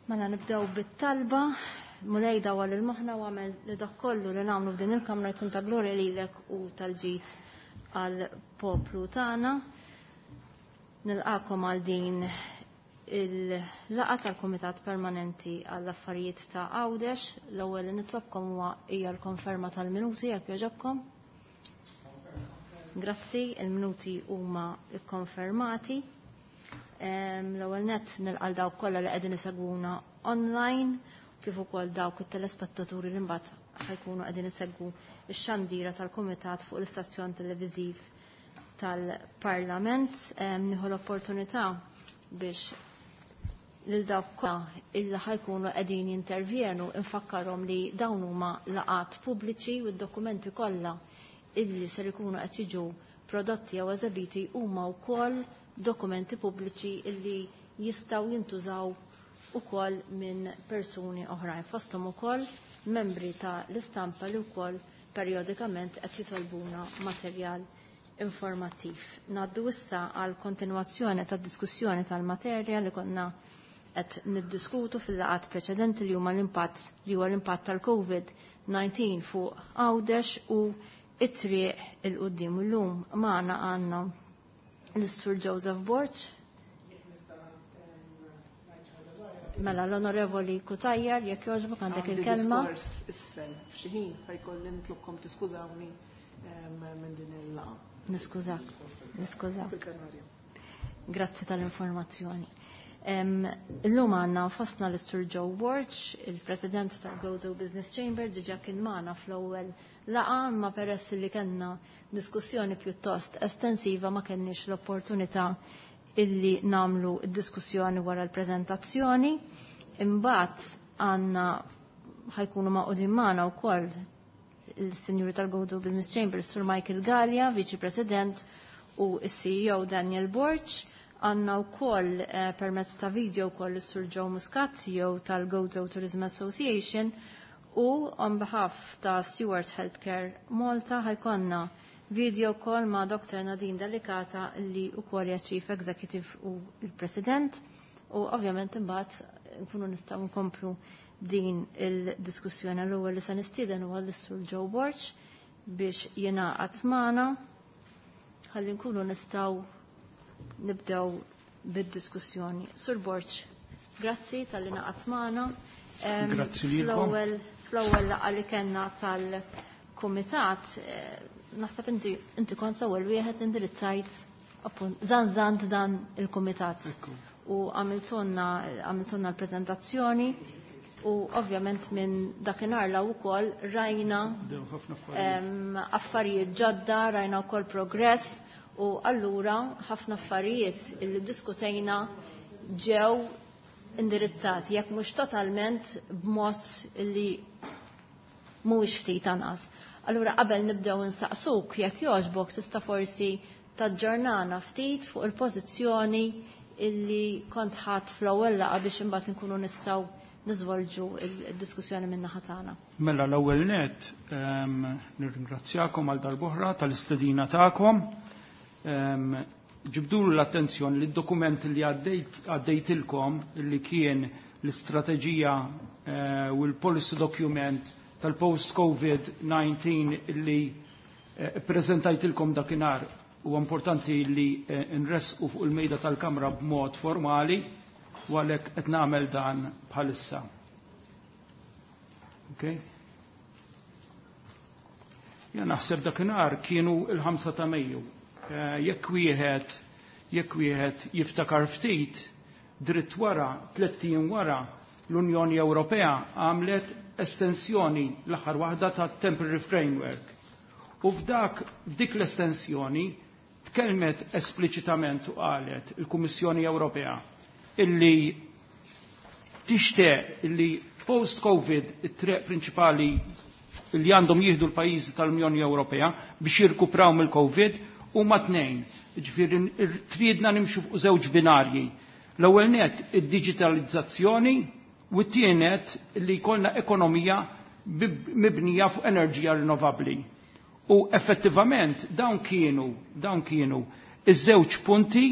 Mela nibdew bit-talba, Mulej dawwal il-moħħna u għamel li dak kollu li nagħmlu f'din il-kamra jkun ta' glorja lilek u tal-ġid għall-poplu tagħna. Nilqakom għal din il-laqgħa tal-Kumitat Permanenti għall-Affarijiet ta' Għawdex. L-ewwel li nitlobkom huwa hija l-konferma tal-minuti jekk jogħġobkom. Grazzi, il-minuti huma kkonfermati. L-ewwel nett nilqa' dawk kollha li qegħdin isegwuna online kif ukoll dawk it-telespettaturi li mbagħad ħajkunu qegħdin isegwu x-xandira tal-Kumitat fuq l-istazzjon televiżiv tal-Parlament. Nieħu l-opportunità biex lil dawk kollha illi ħajkunu qegħdin jintervjenu infakkarhom li dawn huma laqat pubbliċi u d-dokumenti kollha illi ser ikunu qed jiġu prodotti jew eżebiti huma wkoll dokumenti pubbliċi illi jistgħu jintużaw ukoll minn persuni oħrajn fosthom ukoll membri ta' l-istampa li wkoll perjodikament qed jitolbuna materjal informattiv. Naddu issa għal kontinwazzjoni tad diskussjoni tal-materja li konna qed niddiskutu fil-laqat preċedenti li huma l-impatt li huwa l-impatt tal-COVID-19 fuq Għawdex u it-triq il-qudiem illum magħna għandna l-Istur Joseph Borg. Mela l-Onorevoli Kutajjar, jekk jogħġbok għandek il-kelma. Għandi isfel f'xi ħin ħajkolli nitlobkom tiskużawni minn din il-laqgħa. Niskużak, niskużak. Grazzi tal-informazzjoni. Illum għandna fostna l-Istur Joe Borg, il-President tal-Gozo Business Chamber, diġà kien magħna fl-ewwel laqgħa, imma peress li kellna diskussjoni pjuttost estensiva ma kenniex l-opportunità illi namlu d-diskussjoni wara l-preżentazzjoni. Imbagħad għandna ħajkunu maqudin magħna wkoll il-Sinjuri tal-Gozo Business Chamber, Sur Michael Gallia, Viċi President, u s-CEO Daniel Borg. Għanna u koll permezz ta' video koll is-Sur Joe Muscat, CEO tal-Gozo Tourism Association, u on behalf ta' Stewart Healthcare Malta ħajkonna video call ma' Dr. Nadine Delicata li u koll hija Chief Executive u il-President u ovvjament imbagħad nkunu nistgħu nkomplu din il-diskussjoni. L-ewwel li se nistieden huwa l-Sur Joe Borg biex jingħaqad magħna ħalli nkunu nistgħu nibdew bid-diskussjoni. Sur Borg, grazzi tal-li naqat magħna. Grazzi lilkom. Fl-ewwel laqgħa li kellna tal-kumitat, naħseb inti inti kont l-ewwel wieħed indirizzajt appunt zanzant dan il-kumitat. U għamiltonna għamiltonna l-preżentazzjoni u ovvjament minn dakinhar la wkoll rajna affarijiet ġodda, rajna wkoll progress u allura ħafna affarijiet illi diskutejna ġew indirizzati, jekk mhux totalment b'mod li mhuwiex ftit anqas. Allura qabel nibdew insaqsuk jekk jogħġbok tista' forsi taġġornana ftit fuq il-pożizzjoni illi kont ħadd fl-ewwel laqgħa biex imbagħad inkunu nistgħu niżvolġu il-diskussjoni minn naħa tagħna. Mela l-ewwel nett nirringrazzjakom għal darb'oħra tal-istedina tagħkom. Ġibdulu l-attenzjoni li d-dokument li għaddejtilkom li kien l-istrateġija u l-policy document tal-post-COVID-19 li prezentajtilkom dakinhar u importanti li nresqu fuq il-mejda tal-Kamra b'mod formali u għalhekk qed nagħmel dan bħalissa. Okay? Ja naħseb dakinhar kienu il-5 ta' Mejju. Jekk wieħed jekk wieħed jiftakar ftit, dritt wara, tlett ijiem wara, l-Unjoni Ewropea għamlet estensjoni l-aħħar waħda ta' temporary framework. U f'dak f'dik l-estensjoni tkellmet espliċitament u qalet il-Kummissjoni Ewropea illi tixtieq illi post-Covid it-triq prinċipali li għandhom jieħdu l-pajjiżi tal-Unjoni Ewropea biex jirkupraw mill-Covid huma tnejn. Ġifieri tridna nimxu fuq żewġ binarji. L-ewwel net id-diġitalizzazzjoni u t-tienet li jkollna ekonomija mibnija fuq enerġija rinnovabbli. U effettivament dawn kienu dawn kienu iż-żewġ punti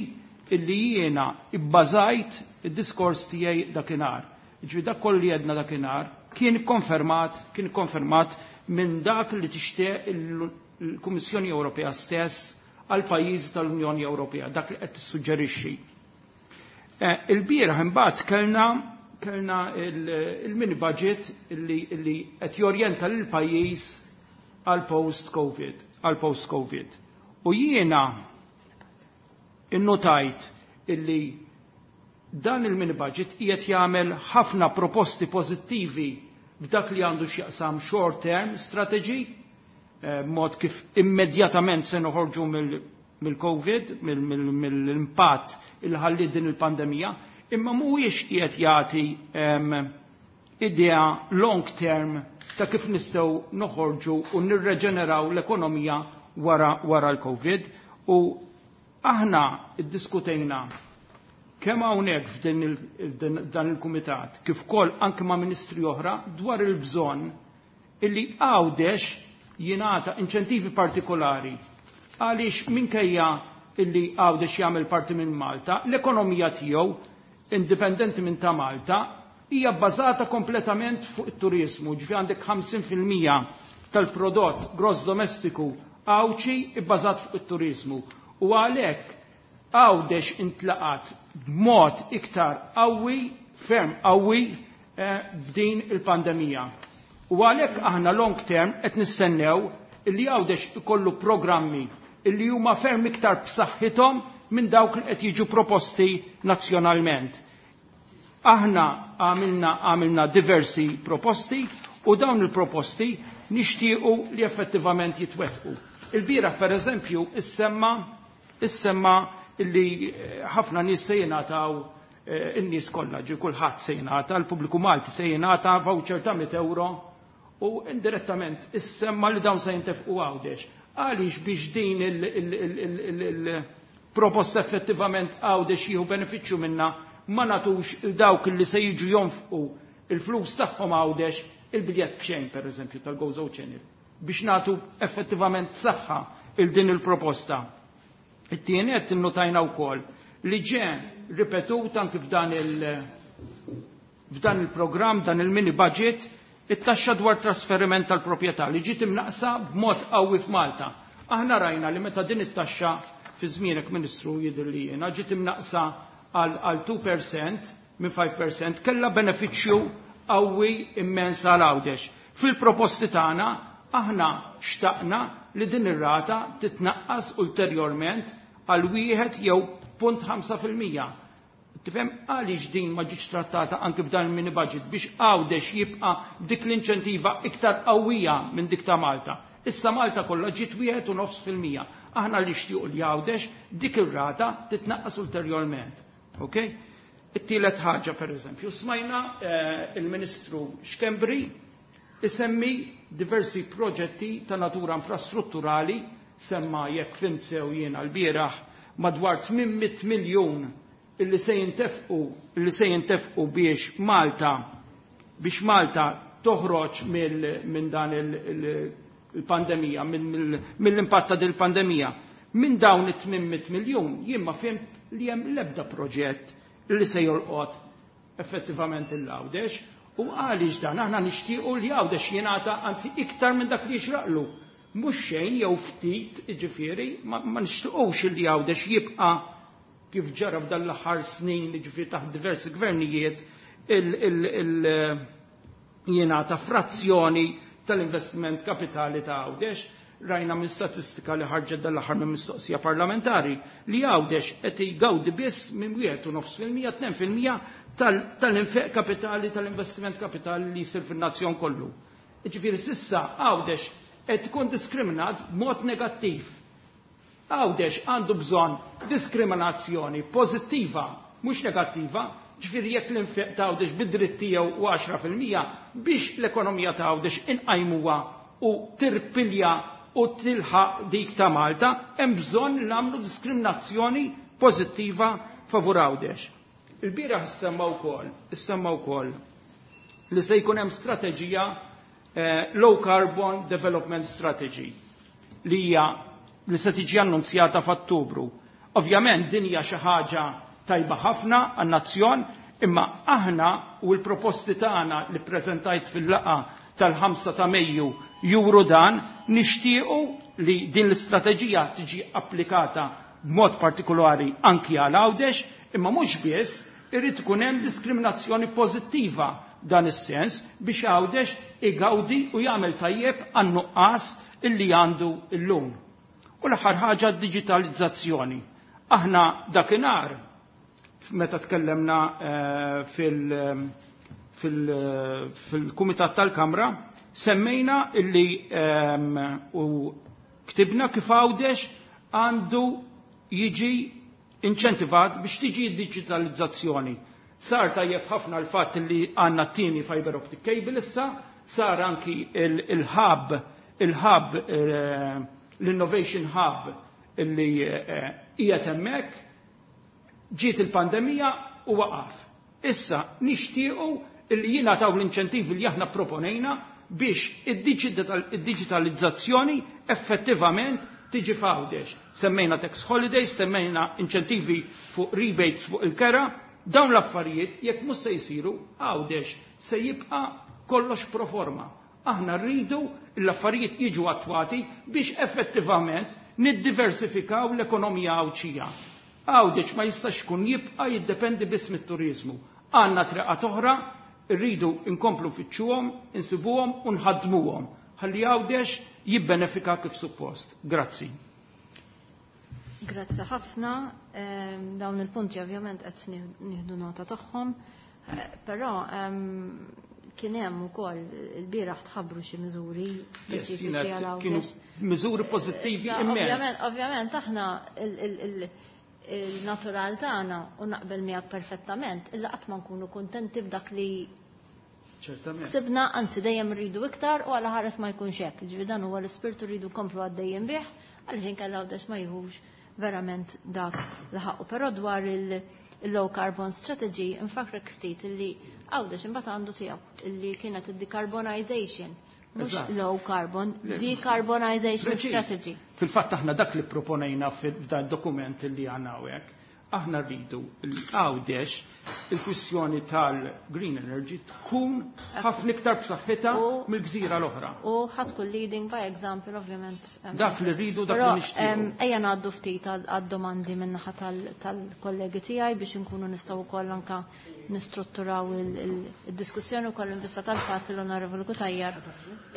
illi jiena ibbażajt id-diskors tiegħi dakinhar. Ġifieri dak kollu li għedna dakinhar kien konfermat, kien konfermat minn dak li tixtieq il-Kummissjoni Ewropea stess għal pajjiżi tal-Unjoni Ewropea, dak li qed tissuġġerixxi. Il-bieraħ imbagħad kellna il-mini budget li qed jorjenta lil pajjiż għal post-COVID, għal post-COVID. U jiena innotajt illi dan il-mini budget qiegħed jagħmel ħafna proposti pożittivi b'dak li għandu x'jaqsam short term strategy, mod kif immedjatament se noħorġu mill-COVID, mill-impatt il ħalli din il-pandemija, imma mhuwiex qiegħed jagħti idea long term ta' kif nistgħu noħorġu u nirreġeneraw l-ekonomija wara l-COVID. U aħna iddiskutejna kemm hawnhekk f'dan il-kumitat kif ukoll anke ma' ministri oħra dwar il-bżonn illi Għawdex jingħata inċentivi partikolari, għaliex minkejja illi Għawdex jagħmel parti minn Malta, l-ekonomija tiegħu indipendenti minn ta' Malta hija bbażata kompletament fuq it-turizmu, ġifi għandek 50% tal-prodott gross domestiku Għawdxi bbażat fuq it-turizmu. U għalhekk Għawdex intlaqat b'mod iktar qawwi, ferm qawwi, b'din il-pandemija. U għalhekk aħna long term qed nistennew illi Għawdex ikollu programmi illi huma ferm iktar b'saħħithom minn dawk li qed jiġu proposti nazzjonalment. Aħna għamilna diversi proposti u dawn il-proposti nixtiequ li effettivament jitwettqu. Il-bieraħ per eżempju issemma illi ħafna nies se jingħataw, in-nies kollha, ġi kulħadd se jingħata, l-pubbliku Malti se jingħata voucher ta' 100 euro u indirettament issemma li dawn se jintefqu Għawdex. Għaliex biex din il-proposta effettivament Għawdex jieħu benefiċċju minna ma nagħtux il dawk li se jiġu jonfqu il-flus tagħhom Għawdex il-biljett b'xejn per eżempju tal-Gozo Channel biex nagħtu effettivament saħħa il din il-proposta. It-tieni qed innotajna wkoll li ġe ripetut anki f'dan il-programm, dan il-mini budget, it-taxxa dwar trasferiment tal-proprjetà li ġiet imnaqsa b'mod qawwi f'Malta. Aħna rajna li meta din it-taxxa fi żmienek, Ministru, jidher li jiena ġiet imnaqsa għal 2% minn 5% kellha benefiċċju qawwi immens għal Għawdex. Fil-proposti tagħna aħna xtaqna li din ir-rata titnaqqas ulterjorment għal wieħed jew punt ħamsa fil-mija. Tifhem għaliex din ma ġietx trattata anke f'dan il-mini budget biex Għawdex jibqa' dik l-inċentiva iktar qawwija minn dik ta' Malta. Issa Malta kollha ġiet wieħed u nofs fil-mija. Aħna li xtiequ li Għawdex dik ir-rata titnaqqas ulterjorment. Ok? It-tielet ħaġa per eżempju, smajna il-Ministru Schembri isemmi diversi proġetti ta' natura infrastrutturali, semma jekk fhimt sew jiena l-bieraħ madwar 800 miljun illi se jintefqu biex Malta toħroġ minn dan il-pandemija, mill-impatt ta' dil-pandemija. Minn dawn it-800 miljun jien ma fhimt li hemm l-ebda proġett li se jolqot effettivament il-Għawdex. U għaliex dan aħna nixtiequ li Għawdex jingħata anzi iktar minn dak li jixraqlu. Mhux xejn jew ftit, jiġifieri, ma nixtiequx li Għawdex jibqa' kif ġara f'dan l-aħħar snin, jiġifieri taħt diversi gvernijiet, jingħata frazzjoni tal-investiment kapitali ta' Għawdex. Rajna minn statistika li ħarġet dan l-aħħar minn mistoqsija parlamentari li Għawdex qed jgawdi biss minn wieħed u nofs fil-mija, tnejn fil-mija tal-infeq kapitali, tal-investiment kapitali li jsir fin-nazzjon kollu. Jiġifieri s'issa Għawdex qed tkun diskriminat b'mod negattiv. Għawdex għandu bżonn diskriminazzjoni pożittiva, mhux negattiva, ġifieri jekk l-infeq ta' Għawdex bid-dritt tiegħu u għaxra fil-mija biex l-ekonomija ta' Għawdex inqajmuha u tirpilja u tilħaq dik ta' Malta, hemm bżonn li nagħmlu diskriminazzjoni pożittiva favur Għawdex. Il-bieraħ issemma wkoll li se jkun hemm strateġija Low Carbon Development Strategy li hija li se tiġi annunzjata f'Ottubru. Ovvjament din hija xi ħaġa tajba ħafna għan-nazzjon, Imma aħna u l-proposti tagħna li ppreżentajt fil-laqgħa tal-5 ta' Mejju juru dan, nixtiequ li din l-istrateġija tiġi applikata b'mod partikolari anki għal Għawdex, imma mhux biss, irid ikun hemm diskriminazzjoni pożittiva dan is-sens biex Għawdex igawdi u jagħmel tajjeb għan-nuqqas illi għandu llum. U l-aħħar ħaġa d-diġitalizzazzjoni. Aħna dakinhar meta tkellemna fil-Kumitat tal-Kamra semmejna illi u ktibna kif Għawdex għandu jiġi inċentivat biex tiġi d-diġitalizzazzjoni. Sar tajjeb ħafna l-fatt li għandna t-tieni fiber optic cable issa, sar anki il-hub, il-hub, l-innovation hub illi qiegħed hemmhekk, ġiet il-pandemija u waqaf. Issa nixtiequ illi jingħataw l-inċentivi li aħna proponejna biex id-diġitalizzazzjoni effettivament tiġi f'Għawdex. Semmejna tax holidays, semmejna inċentivi fuq rebates fuq il-kera, dawn l-affarijiet jekk mhux se jsiru Għawdex se jibqa' kollox pro forma. Aħna rridu l-affarijiet jiġu attwati biex effettivament niddiversifikaw l-ekonomija Għawdxija. Għawdex ma jistax ikun jibqa' jiddependi biss mit-turiżmu. Għandna triqat oħra, rridu nkomplu nfittxuhom, insibuhom u nħaddmuhom ħalli Għawdex jibbenefika kif suppost. Grazzi. Grazzi ħafna. Dawn il-punti ovvjament qed nieħdu nota tagħhom, però kien hemm ukoll il-bieraħ tħabbru xi miżuri speċifiċi għal Għawdex. Kienu miżuri pożittivi immens. Ovvjament aħna il-natural tagħna u naqbel miegħek perfettament, illa qatt ma nkunu kuntenti b'dak li ksibna, anzi dejjem rridu iktar u għala ħares ma jkunx hekk. Ġifieri dan huwa l-ispirtu rridu nkomplu għaddejjem bih għaliex inkella Għawdex ma jieħux verament dak li ħaqqu. Però dwar il-low carbon strategy nfakrek ftit illi Għawdex imbagħad għandu tiegħu illi kienet id-decarbonization. Mhux low carbon, decarbonization strategy. Fil-fatt aħna dak li proponejna f'dan dokument li għandna hawnhekk, aħna rridu l-Għawdex il-kwistjoni tal-green energy tkun ħafna iktar b'saħħitha mill-gżira l-oħra. U ħa tkun leading by example, ovvjament. Dak li rridu, dak li Però, nixtiequ. Ejja ngħaddu ftit għad-domandi min-naħa tal-kollegi tiegħi biex inkunu nistgħu wkoll anke nistrutturaw il-diskussjoni wkoll in vista tal-fatt li l-Onorevoli Cutajar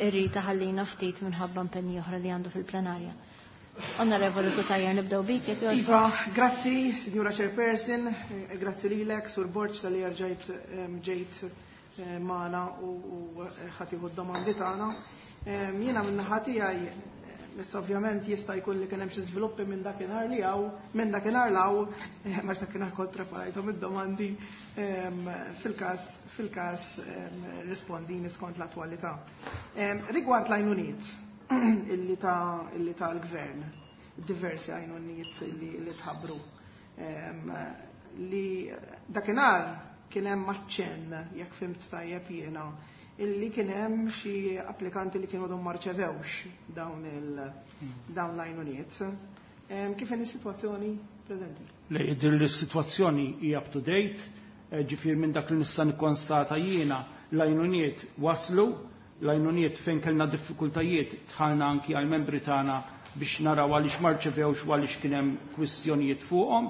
irrid iħallina ftit minħabba impenji oħra li għandu fil-plenarja. Onorevoli Cutajar, nibdew bik, jekk jogħġbok. Iva, grazzi, Signora Chairperson, grazzi lilek, Sur Borg, tal-li rġajt ġejt magħna u ħa tieħu d-domandi tagħna. Jiena minn naħa tiegħi, issa ovvjament jista' jkun li kien hemm xi żviluppi minn dakinhar li hawn, minn dakinhar law, ma dakinhar kont preparajthom id-domandi, fil-każ rispondini skont l-attwalità. Rigward l-għajnuniet illi ta' l-gvern, diversi għajnuniet li tħabbru, li dakinhar kien hemm aċċenn, jekk fhimt tajjeb jiena, illi kien hemm xi applikanti li kienu għadhom ma rċevewx dawn l-għajnuniet. Kif inhi s-sitwazzjoni preżenti? Le, jidher li s-sitwazzjoni hija up to date, ġifier minn dak li nista' nikkonstata jiena l-għajnuniet waslu, l-għajnuniet fejn kellna diffikultajiet tħalna anki għall-membri tagħna biex naraw għaliex ma rċevewx u għaliex kien hemm kwistjonijiet fuqhom.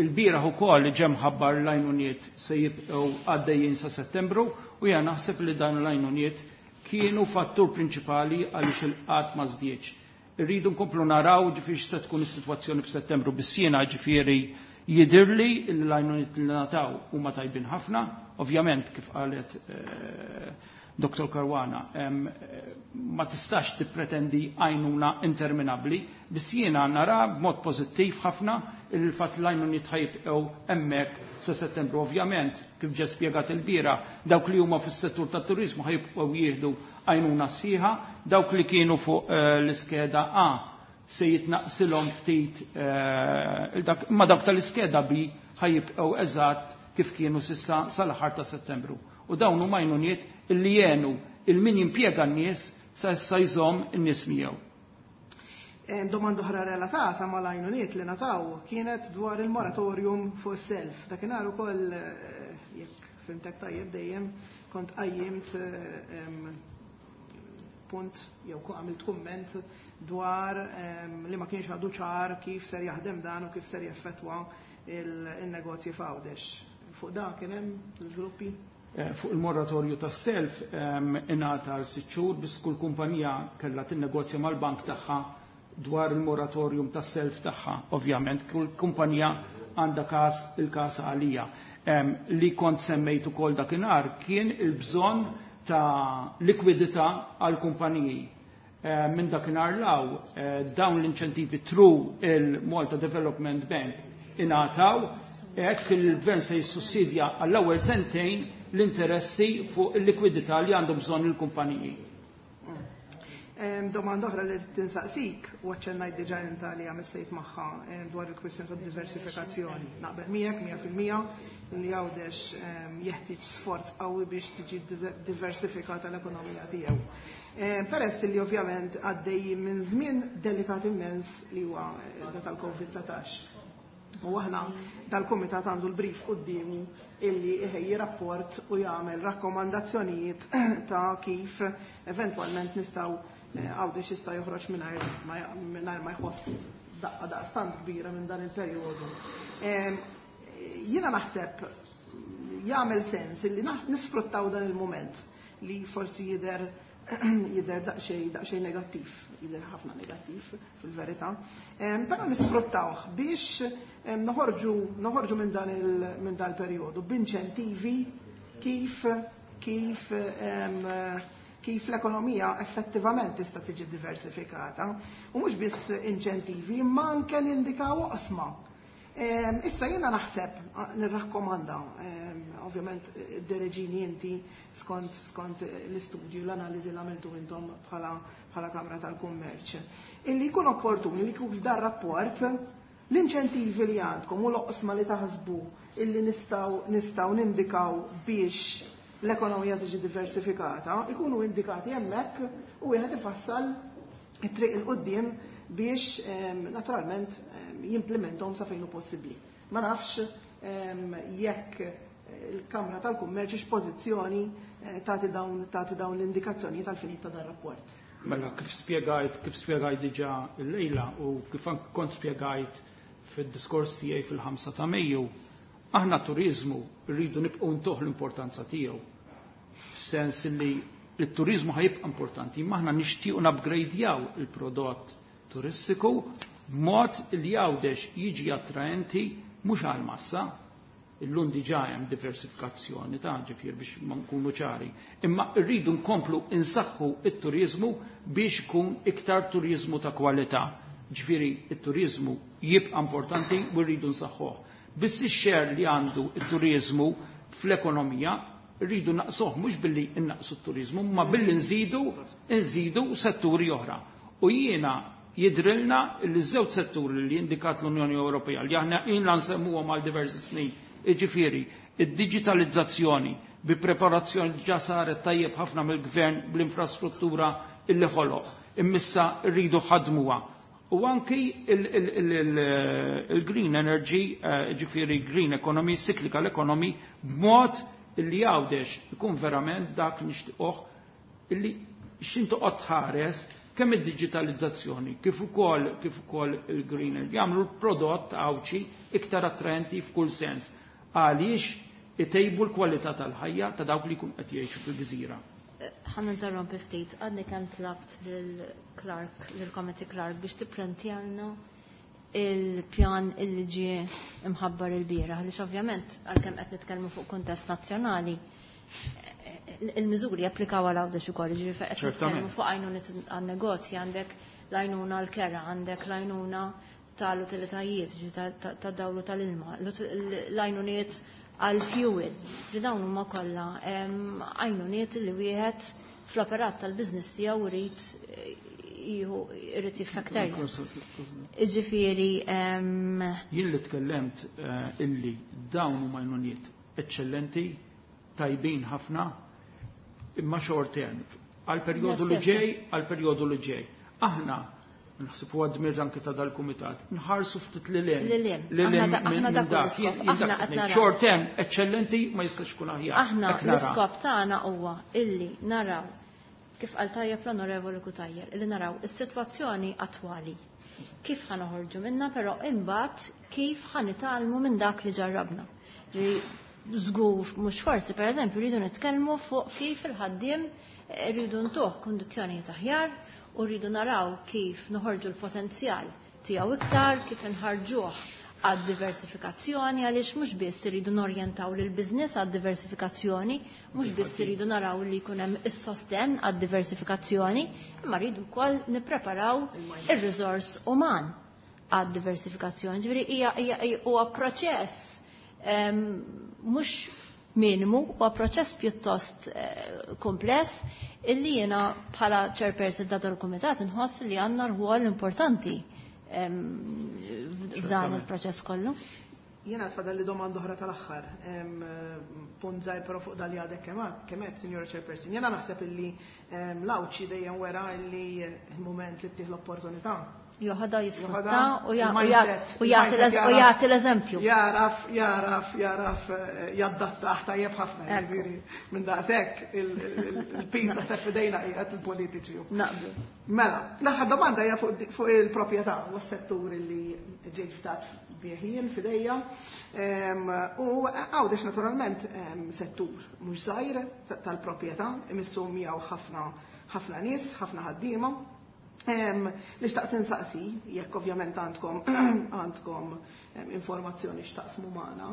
Il-bieraħ ukoll ġem ħabbar l-għajnuniet se jibqgħu għaddejjin sa Settembru u jiena naħseb li dan l-għajnuniet kienu fattur prinċipali għaliex il-qgħad ma żdiedx. Irridu nkomplu naraw ġifieri se tkun is-sitwazzjoni f'Settembru biss jiena ġifieri jidhirli l-għajnuniet li nataw huma tajbin ħafna, ovvjament kif qalet Dr. Caruana, ma tistax tippretendi għajnuna interminabbli, biss jiena nara b'mod pożittiv ħafna il-fatt l-għajnuniet ħajbqgħu hemmhekk sa Settembru. Ovvjament, kif ġe spjegat il-bira, dawk li huma fis-settur tat-turizmu ħajbqgħu jieħdu għajnuna sħiħa, dawk li kienu fuq l-iskeda A se jitnaqsilhom ftit ma dawk tal-iskeda B ħajibqgħu eżatt kif kienu sissa sal-aħħar ta' Settembru. U dawn huma għajnuniet illi jenu il-min jimpjega n-nies sa issa jżomm in-nies miegħu. Domanda oħra relatata mal-għajnuniet li nataw kienet dwar il-moratorium fuq is-self. Dakinhar ukoll jekk fhimtek tajjeb dejjem, kont qajjimt punt jew għamilt kumment dwar li ma kienx għadu ċar kif ser jaħdem dan u kif ser jaffettwa il-negozji f'Għawdex. Fuq dan kien hemm żviluppi? Fuq il-moratorju tas-self ingħata għal 6 xhur, biss kull kumpanija kellha tinnegozja mal-bank tagħha dwar il-moratorium tas-self tagħha. Ovvjament, kull kumpanija għandha każ il-każ għalija. Li kont semmejt ukoll dakinhar kien il-bżonn ta' likwidità għal kumpaniji. Minn dakinhar law dawn l-inċentivi through il-Malta Development Bank ingħataw, hekk il-gvern se jissussidja għall-ewwel sentejn l-interessi fuq il-likwidità li għandhom bżonn il-kumpaniji. Domanda oħra li rrid tinsaqsik, u aċċennajt diġà inta li għamissejt magħha dwar il-kwistjoni ta' diversifikazzjoni. Naqbel miegħek 100% li Għawdex jeħtieġ sforz qawwi biex tiġi diversifikata l-ekonomija tiegħu. Peress li ovvjament għaddej minn żmien delikat immens li huwa da tal-Covid-19. U aħna dal-kumitat għandu l-brief quddiemu illi iħejji rapport u jagħmel rakkomandazzjonijiet ta' kif eventwalment nistgħu Għawdex jista' joħroġ mingħajr ma jħoss daqqa daqstant kbira minn dan il-perjodu. Jiena naħseb jagħmel sens illi nisfruttaw dan il-moment li forsi jidher daqsxejn negattiv, jidher ħafna negattiv fil-verità. Però nisfruttawh biex noħorġu minn dan il-perjodu b'inċentivi kif l-ekonomija effettivament tista' tiġi diversifikata. U mhux biss inċentivi, imma anke nindikaw oqsma. Issa jiena naħseb, nirrakkomanda, ovvjament dereġini inti skont l-istudju, l-analiżi li għamiltu intom bħala Kamra tal-Kummerċ. Illi jkun opportuni li kif dar rapport l-inċentivi li għandkom u l-oqsma li taħsbu illi nistgħu nindikaw biex l-ekonomija tiġi diversifikata, ikunu indikati hemmhekk u wieħed ifassal it-triq 'il quddiem biex naturalment jimplementhom sa fejn hu possibbli. Ma nafx jekk il-Kamra tal-Kummerċ x'pożizzjoni tagħti dawn l-indikazzjoni tal-finit ta' dan rapport. Mela kif spjegajt diġà l-lejla u kif anke kont spjegajt fid-diskors tiegħi fil-5 ta' Mejju, aħna turizmu rridu nibqgħu ntuh l-importanza tiegħu. Sens li il-turizmu ħa jibqa' importanti, imma aħna nixtiequ nupgradejaw il-prodott turistiku b'mod li Għawdex jiġi attraenti mhux għal massa, illum diġà hemm diversifikazzjoni ta' ġifier biex ma nkunu ċari. Imma rridu nkomplu insaħħu it-turizmu biex ikun iktar turizmu ta' kwalità. Ġifieri it-turizmu jibqa' importanti u rridu nsaħħuh. Biss ix-share li għandu it-turizmu fl-ekonomija rridu naqsuh mhux billi innaqsu t-turizmu, ma billi nżidu setturi oħra. U jiena jidrilna li żewġ setturi li indikat l-Unjoni Ewropea li aħna ilna nsemmuhom għal diversi snin, jiġifieri id-digitalizzazzjoni bi preparazzjoni ġa saret tajjeb ħafna mill-gvern bl-infrastruttura illi ħoloq. Immissa rridu ħadmuha. U anki il-green energy, ġifieri green economy, cyclical economy, b'mod illi Għawdex ikun verament dak li nixtiequh illi x'intu qod tħares kemm id-digitalizzazzjoni kif ukoll il-green energy jagħmlu l-prodott Għawdxi iktar attraenti f'kull sens. Għaliex itejbu l-kwalità tal-ħajja ta' dawk li jkun qed jgħixu fil-gżira. Ħa ninterrompi ftit, għadni kemm tlabt lil-Clark, lil-Committee Clerk biex tipprintjalna il-pjan illi ġie imħabbar il-bieraħ, għaliex ovvjament għalkemm qed nitkellmu fuq kuntest nazzjonali, il-miżuri japplikaw għal Għawdex ukoll, ġifieri qed nitkellmu fuq għajnuna għan-negozji, għandek l-għajnuna l-kera, għandek l-għajnuna tal-utilitajiet, tad-dawlu tal-ilma, l-għajnuniet għal-fuel. Li dawn huma kollha għajnuniet li wieħed fl-operat tal-biznis tiegħu irid jieħu irid jiffaktarja. Iġifieri Jien li tkellemt illi dawn huma għajnuniet eċċellenti, tajbin ħafna, imma short term. Għal perjodu li ġej, għal perjodu li ġej. Aħna Naħseb huwa dmir anke ta' dal-kumitat. Nħarsu ftit lil hemm. Lil hemm. Aħna dak l-iskop. Aħna qed naraw. Short term eċċellenti ma jistax ikun aħjar. Aħna l-iskop tagħna huwa illi naraw kif qal tajjeb l-Onorevoli Cutajar, illi naraw is-sitwazzjoni attwali. Kif ħa noħorġu minna, però imbagħad kif ħa nitgħallmu minn dak li ġarrabna. Li żgur mhux forsi pereżempju rridu nitkellmu fuq kif il-ħaddiem rridu ntuh kundizzjonijiet aħjar u rridu naraw kif noħorġu l-potenzjal tiegħu iktar, kif inħarġuh għad diversifikazzjoni, għaliex mhux biss irridu norjentaw lil business għad diversifikazzjoni, mhux biss irridu naraw li jkun hemm is-sosten għad diversifikazzjoni, imma rridu wkoll nippreparaw ir-riżors uman għad diversifikazzjoni. Ġifieri hija huwa proċess mhux minimu, huwa proċess pjuttost kompless illi jiena bħala chairperson ta' dal-kumitat inħoss li għandna rwol importanti f'dan il-proċess kollu. Jiena tfadal li domanda oħra tal-aħħar. Punt żgħir però fuq dal għadek kemm qed, Sinjora Chairperson. Jiena naħseb illi l-Għawdxi dejjem wera illi il-mument li ttih l-opportunità. Joħodha jisfrutta u jagħti l-eżempju. Jaraf, jaraf, jaraf jaddattah tajjeb ħafna, jiġifieri minn daqshekk il-piż naħseb f'idejna qiegħed il-politiċi. Naqblu. Mela, l-aħħar domanda hija fuq il-proprjetà u s-settur li ġejt fdat bih jien f'idejja. U Għawdex naturalment settur mhux żgħir tal-proprjetà, imissu miegħu ħafna ħafna nies, ħafna ħaddiema. Li xtaqt insaqsi, jekk ovvjament għandkom informazzjoni x'taqsmu magħna,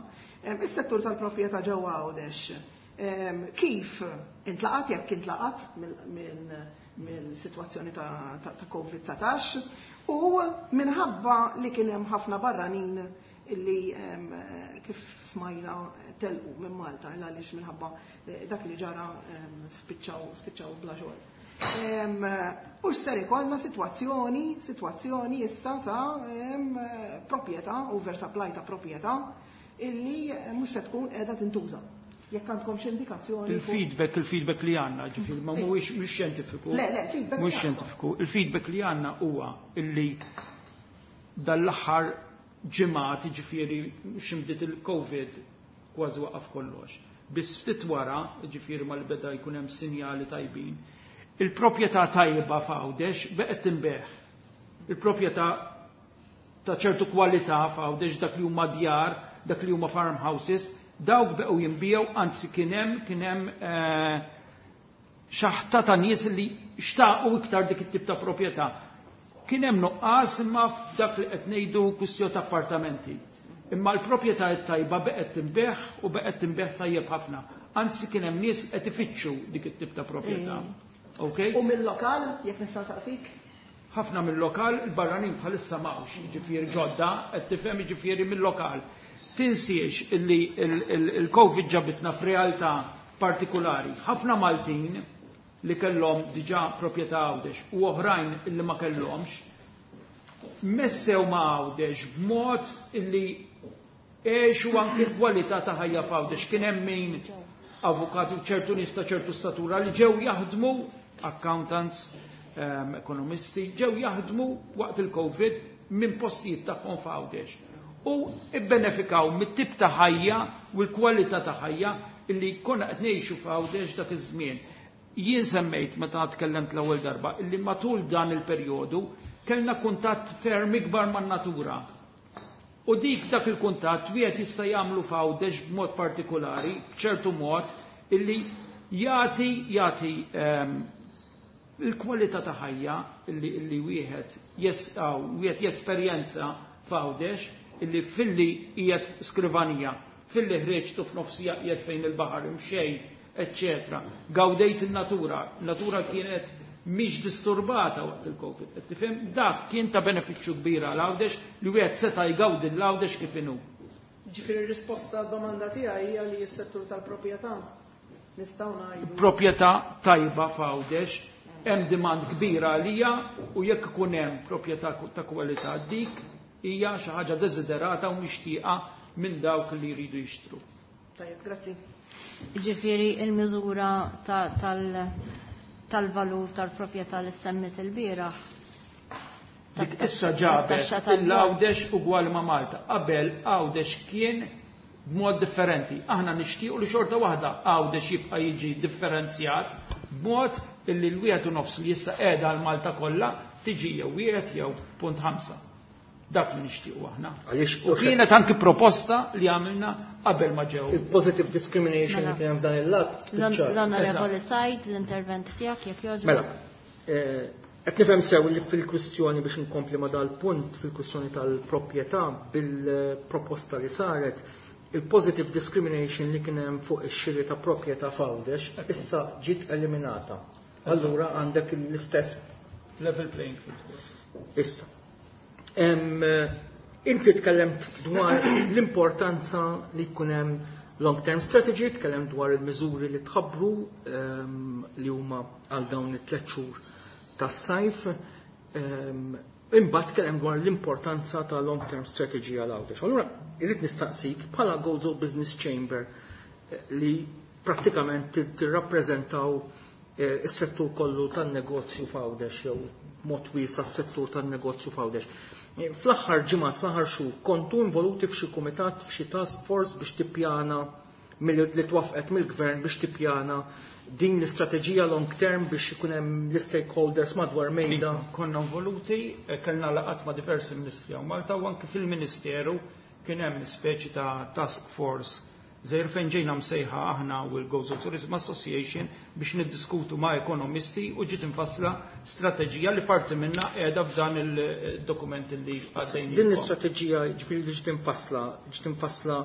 is-settur tal-proprjetà ġewwa Għawdex kif intlaqat, jekk intlaqat mill-sitwazzjoni ta' COVID-19 u minħabba li kien hemm ħafna barranin illi kif smajna telqu minn Malta għaliex minħabba dak li ġara spiċċaw bla xogħol. U x'ser ikollna sitwazzjoni issa ta' proprjetà, oversupply ta' proprjetà illi mhux se tkun qiegħda tintuża. Jekk għandkom xi indikazzjoni. Il-feedback li għandna, ġifieri ma mhuwiex mhux xjentifiku. Le, le, feedback. Mhux xjentifiku. Il-feedback li għandna huwa illi dal-aħħar ġimgħat, ġifieri x'imdiet il-COVID kważi waqaf kollox. Biss ftit wara, ġifieri ma li beda jkun hemm sinjali tajbin, il-proprjetà tajba f'Għawdex beqgħet tinbigħ. Il-proprjetà ta' ċertu kwalità f'Għawdex, dak li huma djar, dak li huma farmhouses, dawk beqgħu jinbiegħu, anzi kien hemm xaħta ta' nies li xtaqu iktar dik it-tip ta' proprjetà. Kien hemm nuqqas imma f'dak li qed ngħidu kwistjoni ta' appartamenti. Imma l-proprjetà tajba beqgħet tinbigħ u beqgħet tinbigħ tajjeb ħafna. Anzi kien hemm nies qed ifittxu dik it-tip ta' proprjetà. Okay? U mill-lokal, jekk nista' nsaqsik? Ħafna mill-lokal, il-barranin bħalissa m'hawnx, jiġifieri ġodda, qed tifhem jiġifieri mill-lokal. Tinsiex illi il-Covid ġabitna f'realtà partikolari. Ħafna Maltin li kellhom diġà proprjetà Għawdex u oħrajn illi ma kellhomx, messew ma' Għawdex b'mod illi għexu anke l-kwalità ta' ħajja f'Għawdex. Kien hemm min avukati u ċertu nies ta' ċertu statura li ġew jaħdmu, accountants, ekonomisti, ġew jaħdmu waqt il-Covid minn postijiet tagħhom f'Għawdex. U ibbenefikaw mit-tip ta' ħajja u l-kwalità ta' ħajja illi konna qed ngħixu f'Għawdex dak iż-żmien. Jien semmejt meta tkellemt l-ewwel darba illi matul dan il-perjodu kellna kuntatt ferm ikbar man-natura. U dik dak il-kuntatt wieħed jista' jagħmlu f'Għawdex b'mod partikolari, b'ċertu mod illi jagħti il-kwalità ta' ħajja illi wieħed wieħed jesperjenza f'Għawdex illi filli qiegħed skrivanija, filli ħriġtu f'nofsija qiegħed fejn il-baħar imxejt, eccetera. Gawdejt il-natura, natura kienet mhix disturbata waqt il-Covid. Qed tifhem? Dak kien ta' benefiċċju kbir għal Għawdex li wieħed seta' jgawdi l-Għawdex kif inhu. Ġifieri r-risposta għad-domanda tiegħi hija li s-settur tal-proprjetà nistgħu ngħidu. Proprjetà tajba f'Għawdex, hemm demand kbira għalija u jekk ikun hemm proprjetà ta' kwalità dik hija xi ħaġa desiderata u mixtieqa minn dawk li jridu jixtru. Tajjeb, grazzi. Ġifieri il-miżura tal-valur tal-proprjetà li semmit il-bieraħ. Dik issa ġabet l-Għawdex ugwali ma' Malta. Qabel Għawdex kien b'mod differenti. Aħna nixtiequ li xorta waħda Għawdex jibqa' jiġi differenzjat b'mod illi l-1.5 li issa qiegħda għal Malta kollha tiġi jew 1 jew 0.5. Dak li nixtiequ aħna. U kienet anki proposta li għamilna qabel ma ġew. Il-positive discrimination li kien hemm f'dan il-lat spiċċat. L-Onorevoli Said, l-intervent tiegħek jekk jogħġbok. Mela, qed nifhem sew li fil-kwistjoni biex inkompli ma dal-punt fil-kwistjoni tal-proprjetà bil-proposta li saret, il-positive discrimination li kien hemm fuq ix-xiri ta' proprjetà f'Għawdex issa ġiet eliminata. Allura għandek l-istess level playing field. Issa. Inti tkellemt dwar l-importanza li jkun hemm long-term strategy, tkellemt dwar il-miżuri li tħabbru li huma għal dawn it-tliet xhur tas-sajf. Imbagħad tkellem dwar l-importanza ta' long-term strategy għal Għawdex. Allura irrid nistaqsik bħala Gozo Business Chamber li prattikament tirrappreżentaw is-settur kollu tan-negozju f'Għawdex jew mod wiesa' s-settur tan-negozju f'Għawdex. Fl-aħħar ġimgħat, fl-aħħar xhur, kontu involuti f'xi kumitat, f'xi task force biex tippjana li twaffqet mill-gvern biex tippjana din l-istrateġija long term biex ikun hemm l-stakeholders madwar mejda? Konna involuti, kellna laqgħat ma' diversi ministri hawn Malta u anke fil-Ministeru kien hemm speċi ta' task force żgħir fejn ġejna msejħa aħna u l-Gozo Tourism Association biex niddiskutu ma' ekonomisti u ġiet infassla strateġija li parti minna qiegħda f'dan il-dokument li għaddejn. Din l-istrateġija ġifieri li ġiet infassla, ġiet infassla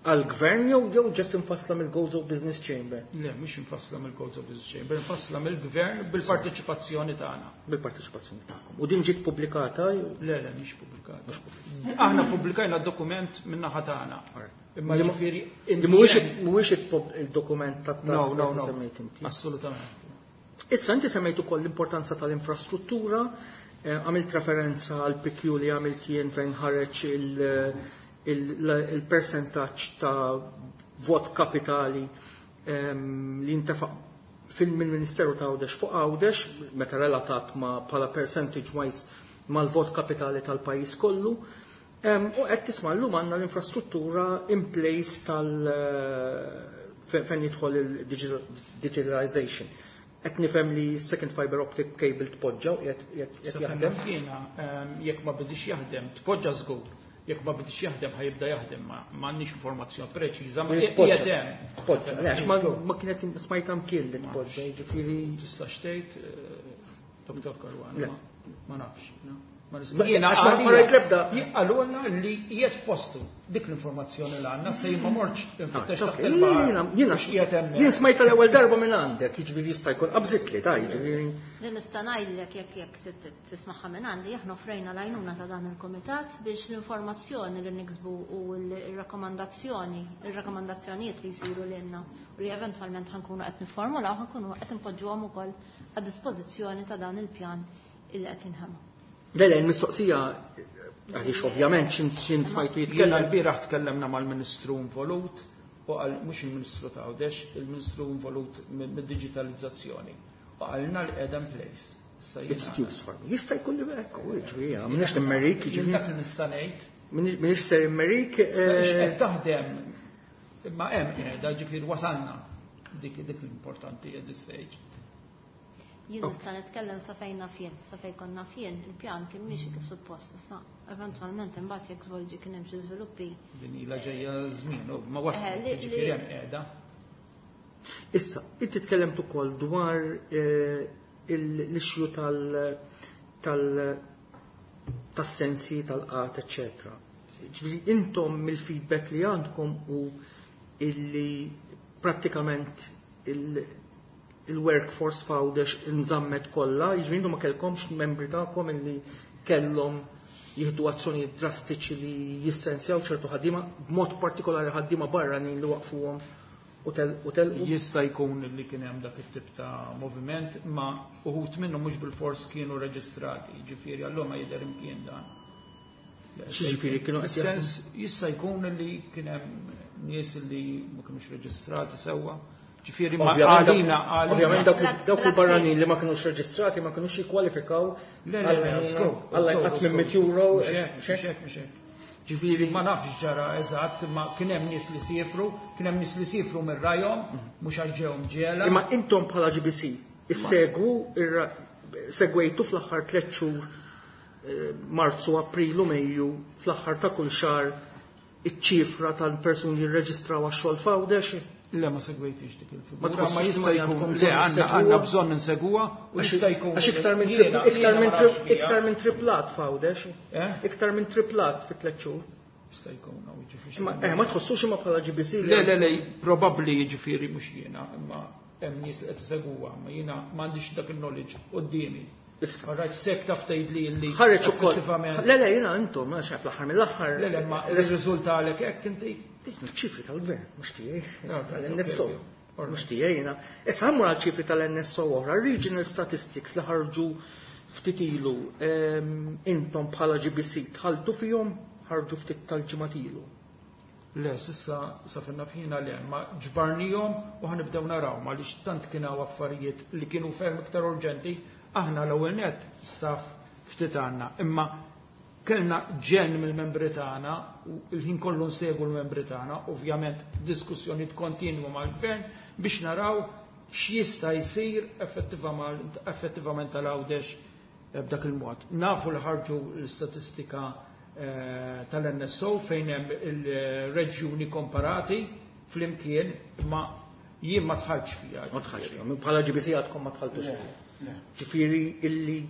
għal-gvern jew ġiet infassla mill-Gozo Business Chamber? Le, mhux infassla mill-Gozo Business Chamber, infassla mill-gvern bil-parteċipazzjoni tagħna. Bil-parteċipazzjoni tagħkom. U din ġiet pubblikata? Le, le, mhix pubblikata. Aħna pubblikajna d-dokument min-naħa tagħna. Imma ġifieri Mhuwiex il-dokument tat-task No, no, no. semmejt inti. Assolutament. Issa inti semmejt ukoll l-importanza tal-infrastruttura, għamilt referenza għal PQ li għamilt jien fejn ħareġ il-percentaġġ ta' vot kapitali li intefaq fil-Ministeru ta' Għawdex fuq Għawdex, meta relatat ma' bħala percentage wise mal-vot kapitali tal-pajjiż kollu. U qed tisma' llum għandna l-infrastruttura in place tal fejn jidħol il-digitalization. Qed nifhem li second fiber optic cable tpoġġa u qiegħed jaħdem. Jiena, jekk ma bidix jaħdem, tpoġġa żgur. Jekk ma bidix jaħdem ħajibda jaħdem, ma għandniex informazzjoni preċiża, ma Tpoġġa. qiegħed hemm. Tpoġġa. Le, għax ma kienet smajta mkien li tpoġġa, jiġifieri Tistax tgħid, Dr. Caruana, Le. ma nafx, no? Ma Ma nista' jiena għax ma għalija rajt l-ebda. Qalulna li qiegħed f'postu. Dik l-informazzjoni li għandna se jien ma mortx infittex taħt Ok, il-baħar. jiena Mhux qiegħed hemmhekk. Jien smajta l-ewwel darba minn għandek, jiġifieri jista' jkun qabżitli, ta' jiġifieri. Li nista' ngħidlek jekk tismagħha minn għandi, aħna offrejna l-għajnuna ta' dan il-kumitat biex l-informazzjoni li niksbu u l-rakkomandazzjonijiet li jsiru lilna u li eventwalment ħankunu qed nifformulaw, ħankunu qed inpoġġuhom ukoll għad dispożizzjoni ta' dan il-pjan illi qed jinħema. Le, le, l-mistoqsija, għaliex ovvjament xin smajtu jitkellem. Jiena l-bieraħ tkellemna mal-Ministru involut, u qal mhux il-Ministru ta' Għawdex, il-Ministru involut mid-digitalizzazzjoni. U qalna li qiegħda in place. Issa jiena It's used for me. Jista' jkun li hekk, u jiġifieri, m'iniex nimmerik, Jien jiġifieri. dak li nista' ngħid. M'iniex ser immerik, Issa qed taħdem, imma hemm qiegħda, ġifieri wasalna dik l-importanti at this stage. Jien nista' nitkellem sa fejn naf jien, sa fejn konna fien, il-pjan kien miexi kif suppost. Issa eventwalment imbagħad jekk żvolġi kien hemm xi żviluppi. Din ilha ġejja żmien, u ma waslet, ġifieri hemm qiegħda. Issa, inti tkellemt ukoll dwar l-issue tas-sensi, tal-qat, eċċetera. Ġifieri intom mill-feedback li għandkom u illi prattikament il-workforce f'Għawdex inżammet kollha, jiġifieri intom ma kellkomx membri tagħkom illi kellhom jieħdu azzjonijiet drastiċi li jissensjaw ċertu ħaddiema, b'mod partikolari ħaddiema barranin li waqfuhom u telqu. Jista' jkun li kien hemm dak it-tip ta' moviment, ma uħud minnhom mhux bil-fors kienu reġistrati, jiġifieri allura ma jidher imkien dan. X'jiġifieri kienu qed jaħdmu? Sens jista' jkun li kien hemm nies li ma kinux reġistrati sewwa. Ġifieri ma għalina Ovvjament dawk il-barranin li ma kinux reġistrati ma kinux jikkwalifikaw għal inqas minn 100 euro. Mhux hekk. Ġifieri ma nafx ġara eżatt, ma kien hemm nies li siefru, kien hemm nies li siefru minn rajhom, mhux għax ġew mġiegħla. Imma intom bħala GBC issegwu segwejtu fl-aħħar 3 xhur Marzu, April u Mejju fl-aħħar ta' kull xahar iċ-ċifra tal-persuni li rreġistraw għax-xogħol f'Għawdex? Le, ma segwejtix dik il-figura. Ma jista' jkun le għandna bżonn insegwuha u jista' jkun. Għax iktar minn triplat f'Għawdex. Iktar minn triplat fi 3 xhur. Jista' jkun hawn jiġifieri. Ma tħossux imma bħala GBC. Le, le, le, probabbli jiġifieri mhux jiena, imma hemm nies li qed isegwuha, ma jiena m'għandix dak il-knowledge quddiemi. Issa sek taf tgħidli li ħareġ ukoll. Le, le, jiena intom, għax fl-aħħar mill-aħħar. Le, le, ma rriżulta għalek hekk inti. Ċifri tal-gvern, mhux tiegħi, tal-NSO. Mhux tiegħi jiena. Issa ħammur għal ċifri tal-NSO oħra, Regional Statistics li ħarġu ftit ilu, intom bħala GBC tħaltu fihom, ħarġu ftit tal-ġimgħat ilu. Le, sissa sa finna fina le, ma ġbarnihom u ħanibdew naraw, ma li tant kien hawn affarijiet li kienu ferm iktar urġenti. Aħna l-ewwel net staff ftit għandna, imma kellna ġen mill-membri tagħna u l-ħin kollu nsegwu l-membri tagħna, ovvjament diskussjonijiet kontinwu mal-gvern biex naraw x'jista' jsir effettivament tal-Għawdex b'dak il-mod. Nafu li ħarġu l-istatistika tal-NSO fejn hemm il-reġjuni komparati flimkien, ma jien ma tħallx fiha. Ma tħallx fiha. Bħala GBC għadkom ma tħalltux fiha. Ġifieri illi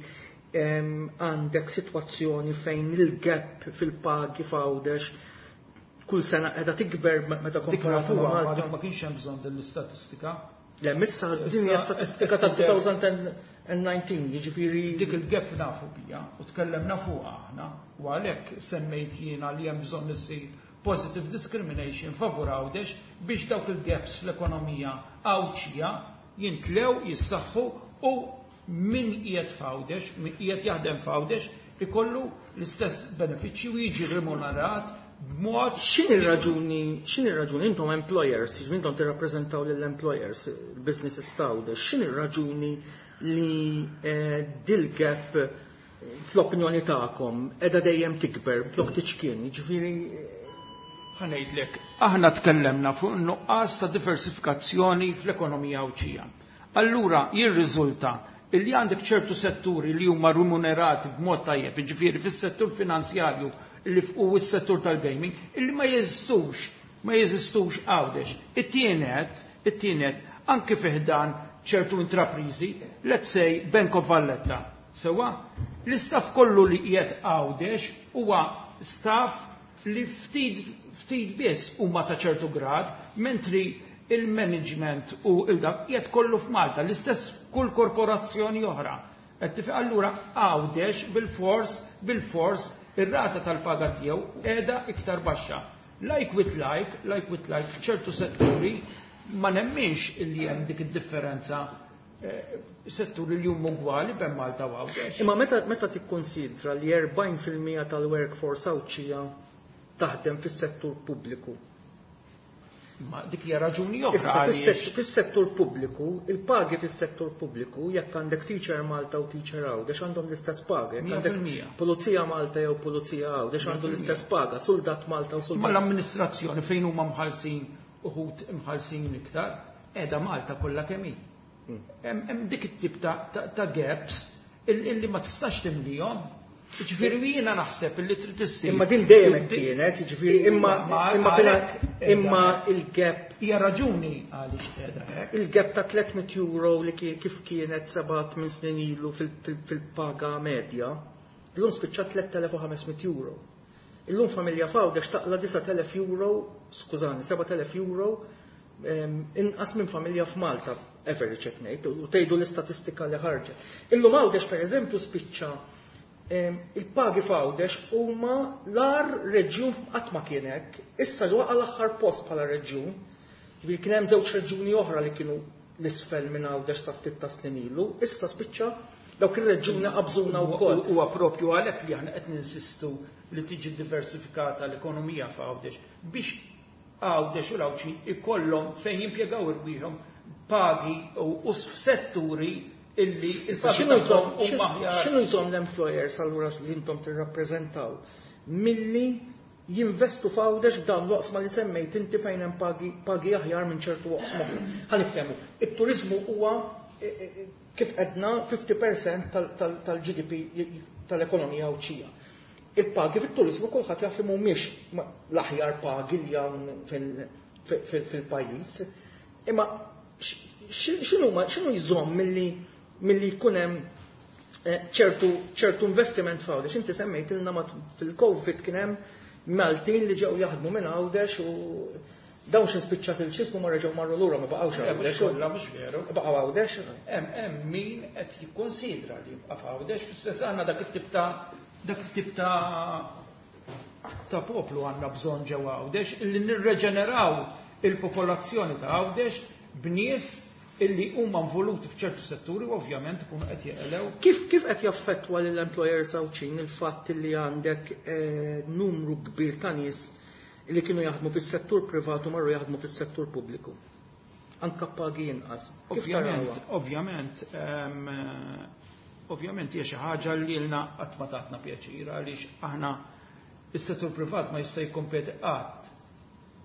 għandek sitwazzjoni fejn il-gap fil-pagi f'Għawdex kull sena qiegħda tikber meta komparatu ma' Malta. Dik ma kienx hemm bżonn din l-istatistika. Le, missa din hija statistika ta' 2019, jiġifieri dik il-gap nafu bija u tkellemna fuqha aħna u għalhekk semmejt jiena li hemm bżonn isir positive discrimination favur Għawdex biex dawk il-gaps fl-ekonomija Għawdxija jintlew, jissaħħu u min qiegħed f'Għawdex, min qiegħed jaħdem f'Għawdex ikollu l-istess benefiċċji u jiġi remunerat b'mod. X'inhi r-raġuni, x'inhi r-raġuni intom employers, jiġifieri intom tirrappreżentaw lill-employers, il-businesses ta' Għawdex, x'inhi r-raġuni li dil-gap fl-opinjoni tagħkom qiegħda dejjem tikber flok tiċkien, jiġifieri Ħa ngħidlek, aħna tkellemna fuq nuqqas ta' diversifikazzjoni fl-ekonomija Għawdxija. Allura jirriżulta illi għandek ċertu setturi li huma remunerati b'mod tajjeb, jiġifieri fis-settur finanzjarju li u s-settur tal-gaming, illi ma jeżistux, ma jeżistux Għawdex. It-tienet, anki fiħdan ċertu intraprizi, let's say Bank of Valletta. Sewa, l-istaff kollu li qiegħed Għawdex huwa staff li ftit biss huma ta' ċertu grad, mentri il-management u il-dak qiegħed kollu f'Malta, l-istess kull korporazzjoni oħra. Qed tifhem, allura Għawdex bil-fors ir-rata tal-paga tiegħu qiegħda iktar baxxa. Like with like, like with like, f'ċertu setturi ma nemminx illi hemm dik id-differenza setturi li huma ugwali bejn Malta u Għawdex. Imma meta tikkonsidra li 40% tal-workforce Għawdxija taħdem fis-settur pubbliku. Ma dik hija raġuni oħra Issa, għaliex. fis-settur pubbliku, il-pagi fis-settur pubbliku, jekk għandek teacher Malta u teacher Għawdex għandhom l-istess paga, jekk Mija għandek fil-mija. pulizija Malta jew pulizija Għawdex għandu Mija fil-mija. l-istess paga, soldat Malta u soldat. Ma l-amministrazzjoni fejn huma mħallsin uħud imħallsin iktar, qiegħda Malta kollha kemm hi. Hemm dik it-tip ta' gaps illi ma tistax timlihom. Ġifieri jiena naħseb illi trid issir. Imma din dejjem hekk kienet, jiġifieri Ma imma għalhekk qiegħda imma hekk. il-gap Hija raġuni għaliex qiegħda hekk. Il-gap ta' 300 euro li kif kienet 7-8 snin ilu fil-paga medja, illum spiċċa 3500 euro. Illum familja f'Għawdex taqla 9000 euro, skużani, 7000 euro inqas minn familja f'Malta, average qed ngħid, u tgħidu l-istatistika li ħarġet. Illum Għawdex pereżempju spiċċa il-pagi f'Għawdex huma l-ar reġjun qatt ma kien hekk, issa waqa' l-aħħar post bħala reġjun. Ġifieri kien hemm żewġ reġjuni oħra li kienu l-isfel minn Għawdex sa ftit ta' snin ilu, issa spiċċa dawk ir-reġjuni qabżuna wkoll. Huwa propju għalhekk li aħna qed ninsistu li tiġi diversifikata l-ekonomija f'Għawdex biex Għawdex u l-Għawdxin ikollhom fejn jimpjegaw irwieħhom pagi u f'setturi illi il-pagi tagħhom huma aħjar. X'inhu jżomm l-employers allura li intom tirrappreżentaw milli jinvestu f'Għawdex f'dawn l-oqsma li semmejt inti fejn hemm pagi aħjar minn ċertu oqsma oħra? Ħa niftehmu, it-turiżmu huwa kif għedna 50% tal-GDP tal-ekonomija Għawdxija. Il-pagi fit-turiżmu kulħadd jaf li mhumiex l-aħjar pagi li hawn fil-pajjiż. Imma x'inhu jżomm milli jkun hemm ċertu investiment f'Għawdex? Inti semmejtilna fil-Covid kien hemm Maltin li ġew jaħdmu minn Għawdex u dawn xi spiċċat il-ċismu ma reġgħu marru lura, ma baqgħux Għawdex. Mhux kollha, mhux veru. Baqgħu Għawdex. Hemm min qed jikkonsidra li jibqa' f'Għawdex, fis-sens għandna dak it-tip ta' dak it-tip ta' poplu għandna bżonn ġewwa Għawdex illi nirreġeneraw il-popolazzjoni ta' Għawdex b'nies illi huma involuti f'ċertu setturi u ovvjament ikunu qed jeqelew. Kif qed jaffettwa lill-employers Għawdxin il-fatt li għandek numru kbir ta' nies li kienu jaħdmu fis-settur privat u marru jaħdmu fis-settur pubbliku? Anka pagi inqas. Kif tarawha? Ovvjament hija xi ħaġa li lilna qatt ma tatna pjaċir għaliex aħna is-settur privat ma jista' jikkompeti qatt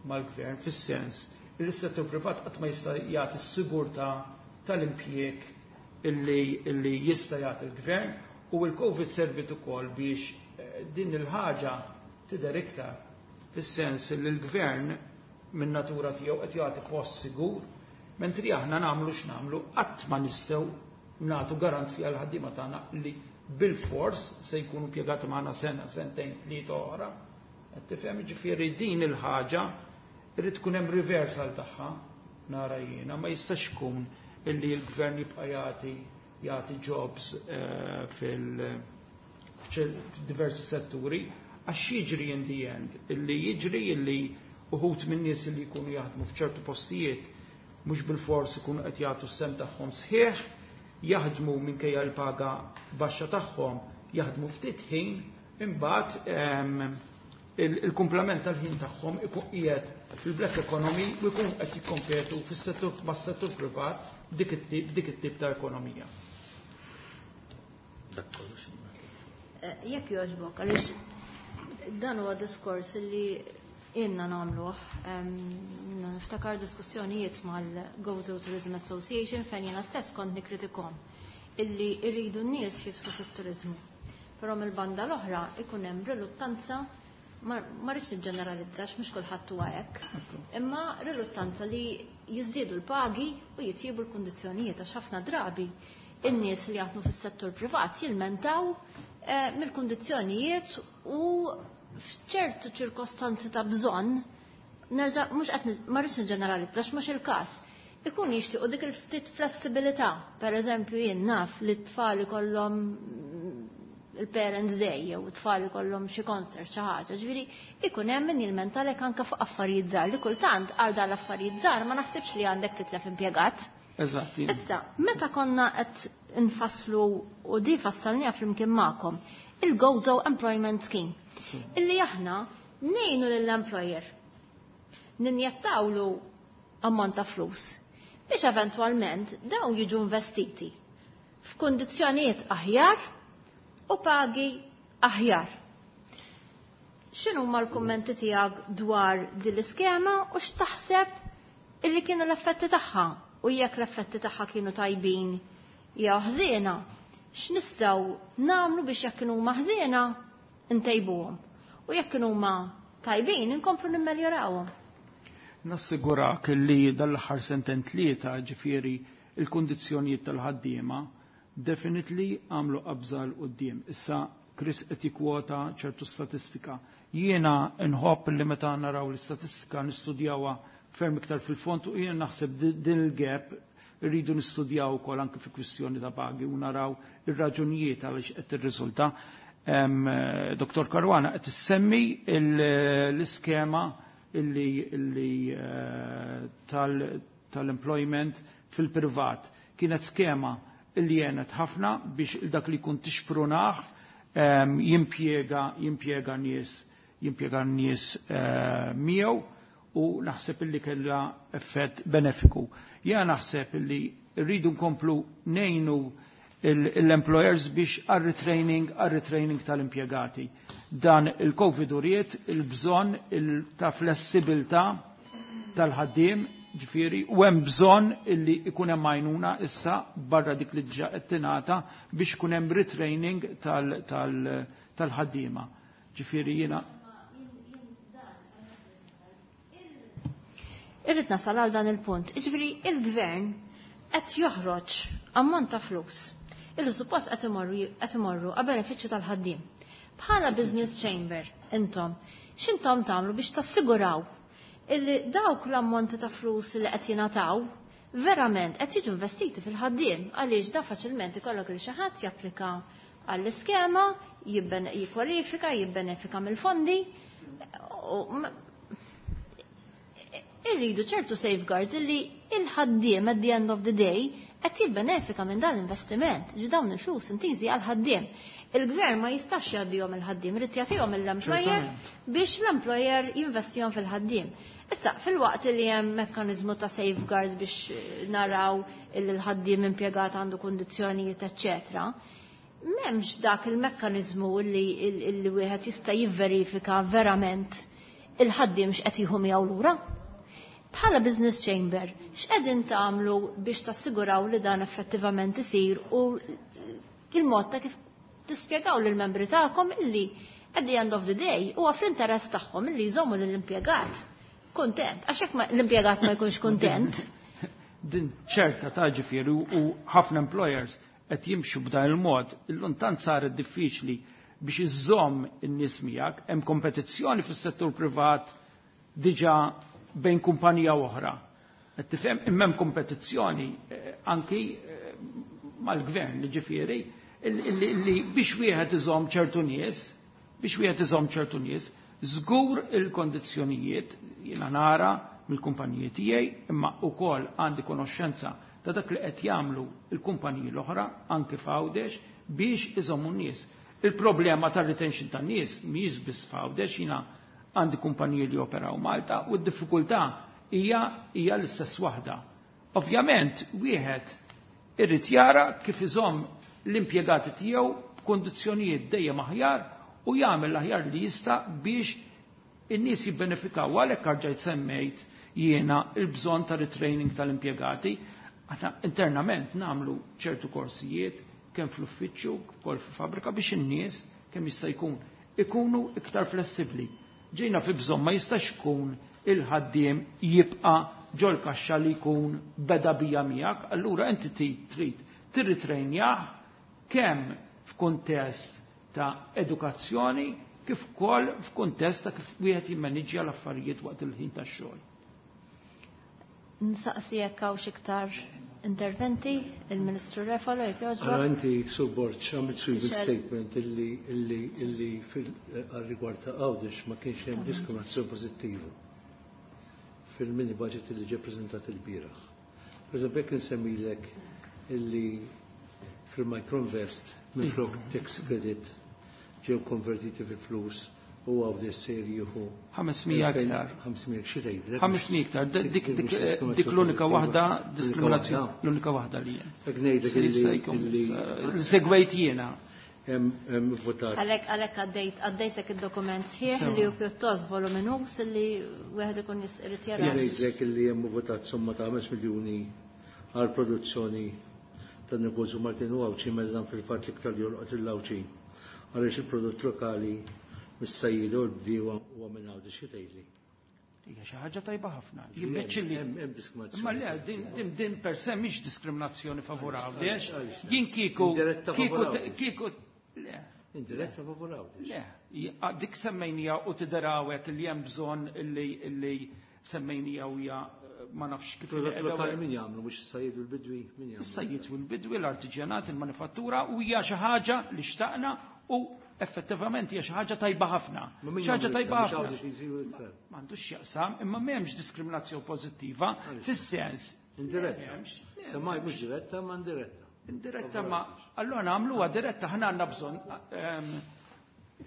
mal-gvern fis-sens li s-settur privat qatt ma jista' jagħti s-sigurtà tal-impjieg illi jista' jagħti l-gvern, u l-Covid servit ukoll biex din il-ħaġa tidher iktar fis-sens li l-gvern minn natura tiegħu qed jagħti post sigur, mentri aħna nagħmlu x'nagħmlu qatt ma nistgħu nagħtu garanzija l ħaddiema tagħna li bil-fors se jkunu impjegati magħna sena, sentejn, tlieta oħra. Qed tifhem, ġifieri din il-ħaġa irid tkun hemm reversal tagħha nara jiena, ma jistax ikun illi l-gvern jibqa' jagħti jobs fil-diversi setturi, għax jiġri in the end, illi jiġri illi uħut minn nies li jkunu jaħdmu f'ċertu postijiet mhux bil-fors ikunu qed jagħtu s-sem tagħhom sħiħ, jaħdmu minkejja l-paga baxxa tagħhom, jaħdmu ftit ħin, imbagħad il-kumplament tal-ħin tagħhom ikun qiegħed fil-black economy u jkun qed jikkompetu fis-settur mas-settur privat dik it-tip ta' ekonomija. Dak kollox. Jekk jogħġbok, għaliex dan huwa diskors li ilna nagħmluh, niftakar diskussjonijiet mal-Gozo Tourism Association fejn jiena stess kont nikkritikhom illi rridu n-nies jidħlu fit-turiżmu. Però mill-banda l-oħra ikun hemm riluttanza, ma rridx niġġeneralizzax, mhux kulħadd huwa hekk, imma riluttanza li jiżdiedu l-pagi u jitjiebu l-kundizzjonijiet, għax ħafna drabi in-nies li jaħdmu fis-settur privat jilmentaw mill-kundizzjonijiet u f'ċertu ċirkostanzi ta' bżonn, nerġa' mhux qed ma rridx niġġeneralizzax, mhux il-każ, ikun jixtiequ dik il-ftit flessibilità. Per eżempju, jien naf li t-tfal ikollhom il-Parents Day jew it-tfal ikollhom xi concert xi ħaġa, ġifieri ikun hemm min jilmentalek anke fuq affarijiet żgħar li kultant għal dan l-affarijiet żgħar ma naħsibx li għandek titlef impjegat. Issa, meta konna qed nfasslu u di fassalniha flimkien magħkom, il-Gozo Employment Scheme, illi aħna ngħinu lill-employer ninjettawlu ammont ta' flus biex eventwalment dawn jiġu investiti f'kundizzjonijiet aħjar u pagi aħjar. X'inhuma l-kummenti tiegħek dwar din l-iskema u x'taħseb illi kienu l-effetti tagħha, u jekk l-effetti tagħha kienu tajbin jew ħżiena, x'nistgħu nagħmlu biex jekk kienu huma ħżiena ntejbuhom u jekk kienu huma tajbin inkomplu nimmeljorawhom. Nassigurak li dal-aħħar sentejn tlieta, ġifieri il-kundizzjonijiet tal-ħaddiema definitely għamlu qabża 'l quddiem. Issa Chris qed jikkwota ċertu statistika. Jiena nħobb li meta naraw l-istatistika nistudjawha ferm iktar fil-fond, u jiena naħseb din il-gap rridu nistudjaw ukoll anke fi kwistjoni ta' pagi u naraw ir-raġunijiet għaliex qed tirriżulta. Dottor Caruana qed issemmi l-iskema illi tal-employment fil-privat. Kienet skema illi jenet ħafna biex dak li jkun tixprunah jimpjega nies miegħu. u naħseb illi kellha effett benefiku. Jiena naħseb illi rridu nkomplu ngħinu l-employers biex għar-retraining tal-impjegati. Dan il-Covid uriet il-bżonn ta' flessibilità tal-ħaddiem, ġifieri, u hemm bżonn illi ikun hemm għajnuna issa barra dik li diġà qed tingħata biex ikun hemm retraining tal-ħaddiema. Ġifieri jiena Irrid nasal għal dan il-punt. Jiġifieri il-gvern qed joħroġ ammont ta' flus illi suppost qed imorru għal benefiċċju tal-ħaddiem. Bħala business chamber intom, x'intom tagħmlu biex tassiguraw illi dawk l-ammonti ta' flus li qed jingħataw verament qed jiġu investiti fil-ħaddiem, għaliex da faċilment ikollok il xi ħadd japplika għall-iskema, jikkwalifika, jibbenefika mill-fondi. Irridu ċertu safeguards illi il-ħaddiem at the end of the day qed jibbenefika minn dan l-investiment, ġi dawn il-flus intiżi għal-ħaddiem. Il-gvern ma jistax jgħaddihom il-ħaddiem, irid jagħtihom l-employer biex l-employer jinvestihom fil-ħaddiem. Issa, fil-waqt li hemm mekkaniżmu ta' safeguards biex naraw il-ħaddiem impjegat għandu kundizzjonijiet, eċċetera, m'hemmx dak il-mekkaniżmu li wieħed jista' jivverifika verament il-ħaddiem x'qed jieħu miegħu lura. Bħala business chamber, x'qegħdin tagħmlu biex tassiguraw li dan effettivament isir u il-mod ta' kif tispjegaw lill-membri tagħkom illi at the end of the day huwa fl-interess tagħhom illi jżommu lill-impjegat kuntent, għax jekk l-impjegat ma jkunx kuntent. Din ċerta ta' ġifieri u ħafna employers qed jimxu b'dan il-mod, illum tant saret diffiċli biex iżżomm in-nies miegħek, hemm kompetizzjoni fis-settur privat diġà bejn kumpanija oħra. Qed tifhem imma hemm kompetizzjoni anki mal-gvern, ġifieri, li biex wieħed iżomm ċertu nies, biex wieħed iżomm ċertu nies, żgur il-kondizzjonijiet jiena nara mill-kumpaniji tiegħi, imma wkoll għandi konoxxenza ta' dak li qed jagħmlu l-kumpaniji l-oħra anke f'Għawdex biex iżommu n-nies. Il-problema tar-retention tan-nies mhijiex biss f'Għawdex, jiena għandi kumpaniji li operaw Malta u d-diffikultà hija l-istess waħda. Ovvjament wieħed irid jara kif iżomm l-impjegati tiegħu b'kondizzjonijiet dejjem aħjar u jagħmel l-aħjar li jista' biex in-nies jibbenefikaw. Għalhekk arġajt semmejt jiena il-bżonn ta' retraining tal-impjegati. Aħna internament nagħmlu ċertu korsijiet kemm fl-uffiċċju, ukoll fil-fabbrika biex in-nies kemm jista' jkun ikunu iktar flessibbli. Ġejna fi bżonn ma jistax ikun il-ħaddiem jibqa' ġol kaxxa li jkun beda bija miegħek, allura inti trid tirritrejnjah kemm f'kuntest ta' edukazzjoni kif ukoll f'kuntest ta' kif wieħed jimmaniġġja l-affarijiet waqt il-ħin tax-xogħol. Nsaqsi jekk hawn xi iktar interventi, il-Ministru Refalo jekk jogħġbok. Allora inti Sur Borg għamilt sweeping statement illi fil-rigward ta' Għawdex ma kienx hemm diskriminazzjoni pożittiva fil-mini budget illi ġie preżentat il-bieraħ. Per eżempju, jekk insemmilek illi fil-Microinvest minflok tax credit ġew konvertiti fi flus u Għawdex sejr jieħu 500 iktar. 500 xi tgħidlek? 500 iktar. Dik l-unika waħda diskriminazzjoni, l-unika waħda li hemm. Hekk ngħidlek illi segwejt jiena. Hemm votat. Għalhekk għaddejtek id-dokument sħiħ li hu pjuttost voluminuż li wieħed ikun irid jara. Ngħidlek illi hemm votat somma ta' 5 miljuni għal produzzjoni tan-negozju Maltin u Għawdxi mela dan fil-fatt l-iktar jolqot il-Għawdxi għaliex il-prodott lokali mis-sajjieda u l-bdiewa huwa minn Għawdex xi tgħidli. Hija xi ħaġa tajba ħafna. Hemm Jimmeċċilli. diskriminazzjoni. Imma le, din per se mhix diskriminazzjoni favur Għaliex, Għawdex. għaliex. Jien kieku Indiretta kieku favur Għawdex. kieku le. Indiretta favur Għawdex. Le, dik semmejnija u tidherawek li hemm bżonn illi semmejnija u hija ma nafx kif Prodott qiegħda lokali u- min jagħmlu mhux is-sajjied u l-bidwi min jagħmlu? Is-sajjied u l-bidwi, l-artiġjanat, il-manifattura u hija xi ħaġa li xtaqna u effettivament hija xi ħaġa tajba ħafna. Ma min Xi ħaġa jagħmlu tajba iktar, mhux ħafna. Għawdex jsiru iktar. M'għandux x'jaqsam, imma m'hemmx diskriminazzjoni pożittiva Għaliex? fis-sens. Indiretta. M'hemmx. Semmaj mhux diretta, ma indiretta. Indiretta ma allora nagħmluha diretta ħna għandna bżonn,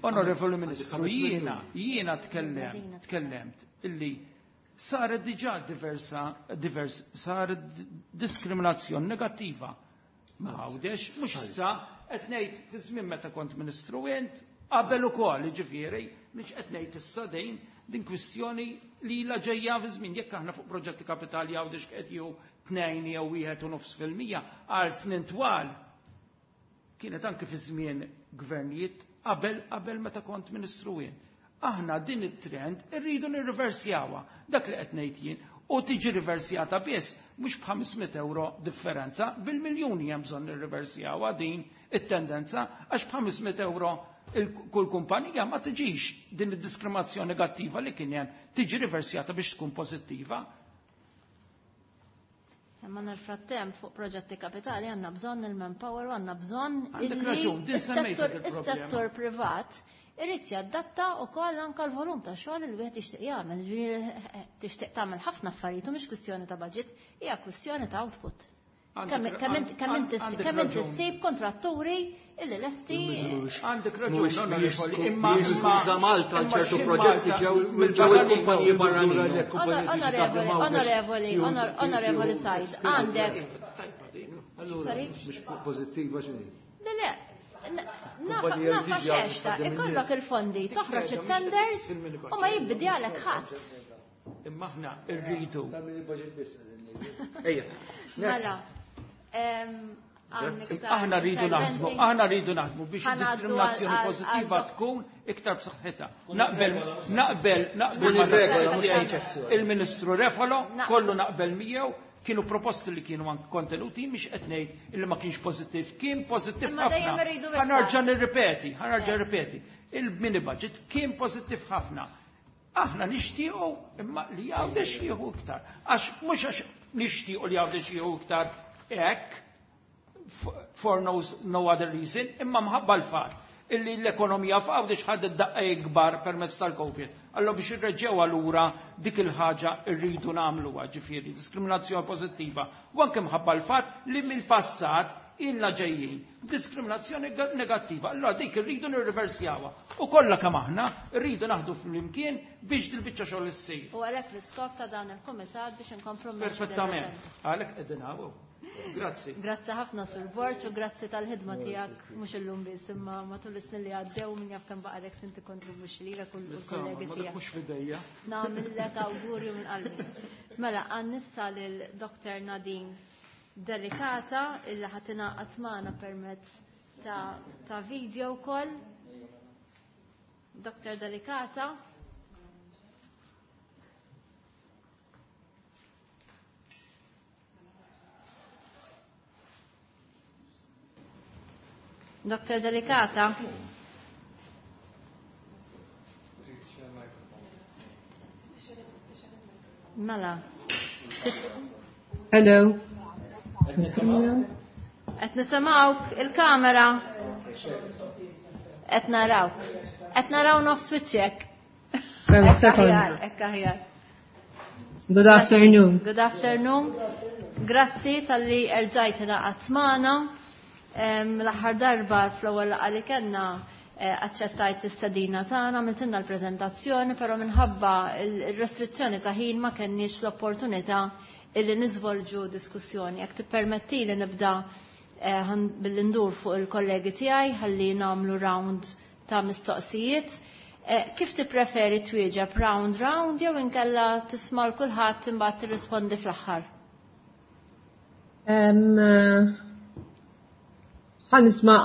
Onorevoli Ministru, jiena tkellemt illi Saret diġà diversa divers saret diskriminazzjoni negattiva ma' Għawdex, mhux issa qed ngħid fi żmien meta kont Ministru int, qabel ukoll, jiġifieri mhix qed ngħid issa din din kwistjoni li ilha ġejja fi żmien jekk aħna fuq proġetti kapitali Għawdex qed jieħu tnejn jew wieħed u nofs fil-mija għal snin twal. Kienet anke fi żmien gvernijiet qabel qabel meta kont Ministru jien. Aħna din it-trend irridu nirriversjawha, dak li qed ngħid jien, u tiġi riversjata biss mhux b'500 ewro differenza, bil-miljuni hemm bżonn nirriversjawha din it-tendenza għax b'500 ewro kull kumpanija ma tiġix din id-diskriminazzjoni negattiva li kien hemm tiġi riversjata biex tkun pożittiva. Imma nel-frattemp fuq proġetti kapitali għandna bżonn il-manpower u għandna bżonn Għandek raġun, din semmejtha il-problema. Is-settur privat irid jadatta wkoll anke l-volum ta' xogħol li wieħed jixtieq jagħmel. Ġifieri tixtieq tagħmel ħafna affarijiet u mhix kwistjoni ta' budget, hija kwistjoni ta' output. Kemm inti ssib kontratturi illi lesti. Għandek raġun, onorevoli, imma imma Malta ċertu proġetti ġew il-kumpaniji barranin. Onorevoli, onorevoli, onorevoli Said, għandek. Allura, mhux pożittiva x'inhi? Le, le, nafa xex ikollok il-fondi, toħroġ it-tenders u ma jibdi għalek ħadd. Imma aħna rridu. Ejja. Mela. Aħna rridu naħdmu, aħna rridu naħdmu biex id-diskriminazzjoni pożittiva tkun iktar b'saħħitha. Naqbel, naqbel, naqbel il-Ministru Refalo, kollu naqbel miegħu, kienu proposti li kienu anke kontenuti, mhix qed ngħid illi ma kienx pożittiv, kien pożittiv ħafna. Ħa nerġa' nirripeti, ħa nerġa' nirripeti. Il-mini budget kien pożittiv ħafna. Aħna nixtiequ imma li Għawdex jieħu iktar. Għax mhux għax nixtiequ li Għawdex jieħu iktar hekk for no, no other reason, imma mħabba l-fatt illi l-ekonomija f'Għawdex ħadet daqqa ikbar permezz tal-Covid. Allora biex irreġgħu allura dik il-ħaġa rridu nagħmluha, ġifieri diskriminazzjoni pożittiva. U anke mħabba l-fatt li mill-passat ilna ġejjin diskriminazzjoni negattiva. Allora dik irridu nirriversjawha. U kollha kemm aħna rridu naħdu flimkien biex dil-biċċa xogħol issir. U għalhekk l-iskop ta' dan il-kumitat biex inkomplu Perfettament. Għalhekk qegħdin hawn. Grazzi. Grazzi ħafna Sur Borg u grazzi tal-ħidma tiegħek mhux illum biss imma matul is-snin li għaddew min jaf kemm baqalek sin tikkontribwixxi lilek u l-kollegi tiegħek. Mhux f'idejja. Nagħmillek awgurju minn qalbi. Mela għan nissa lil Dr. Nadine Delicata illi ħa tingħaqad magħna permezz ta' video call. Dr. Delicata. Dr. Delicata. Mela. Hello. Qed nisimgħuk il-kamera. Qed narawk. Qed naraw nofs wiċċek. Aħjar, hekk aħjar. Good afternoon. Good afternoon. Grazzi talli erġajt ingħaqadt magħna. L-aħħar darba fl-ewwel laqgħa li kellna aċċettajt l-istedina tagħna, għamiltilna l-preżentazzjoni, però minħabba il-restrizzjoni ta' ħin ma kenniex l-opportunità illi niżvolġu diskussjoni. Jekk tippermetti li nibda billi ndur fuq il-kollegi tiegħi ħalli nagħmlu round ta' mistoqsijiet. Kif tippreferi twieġeb round round jew inkella tisma' l kulħadd imbagħad tirrispondi fl-aħħar? Ħa nisma'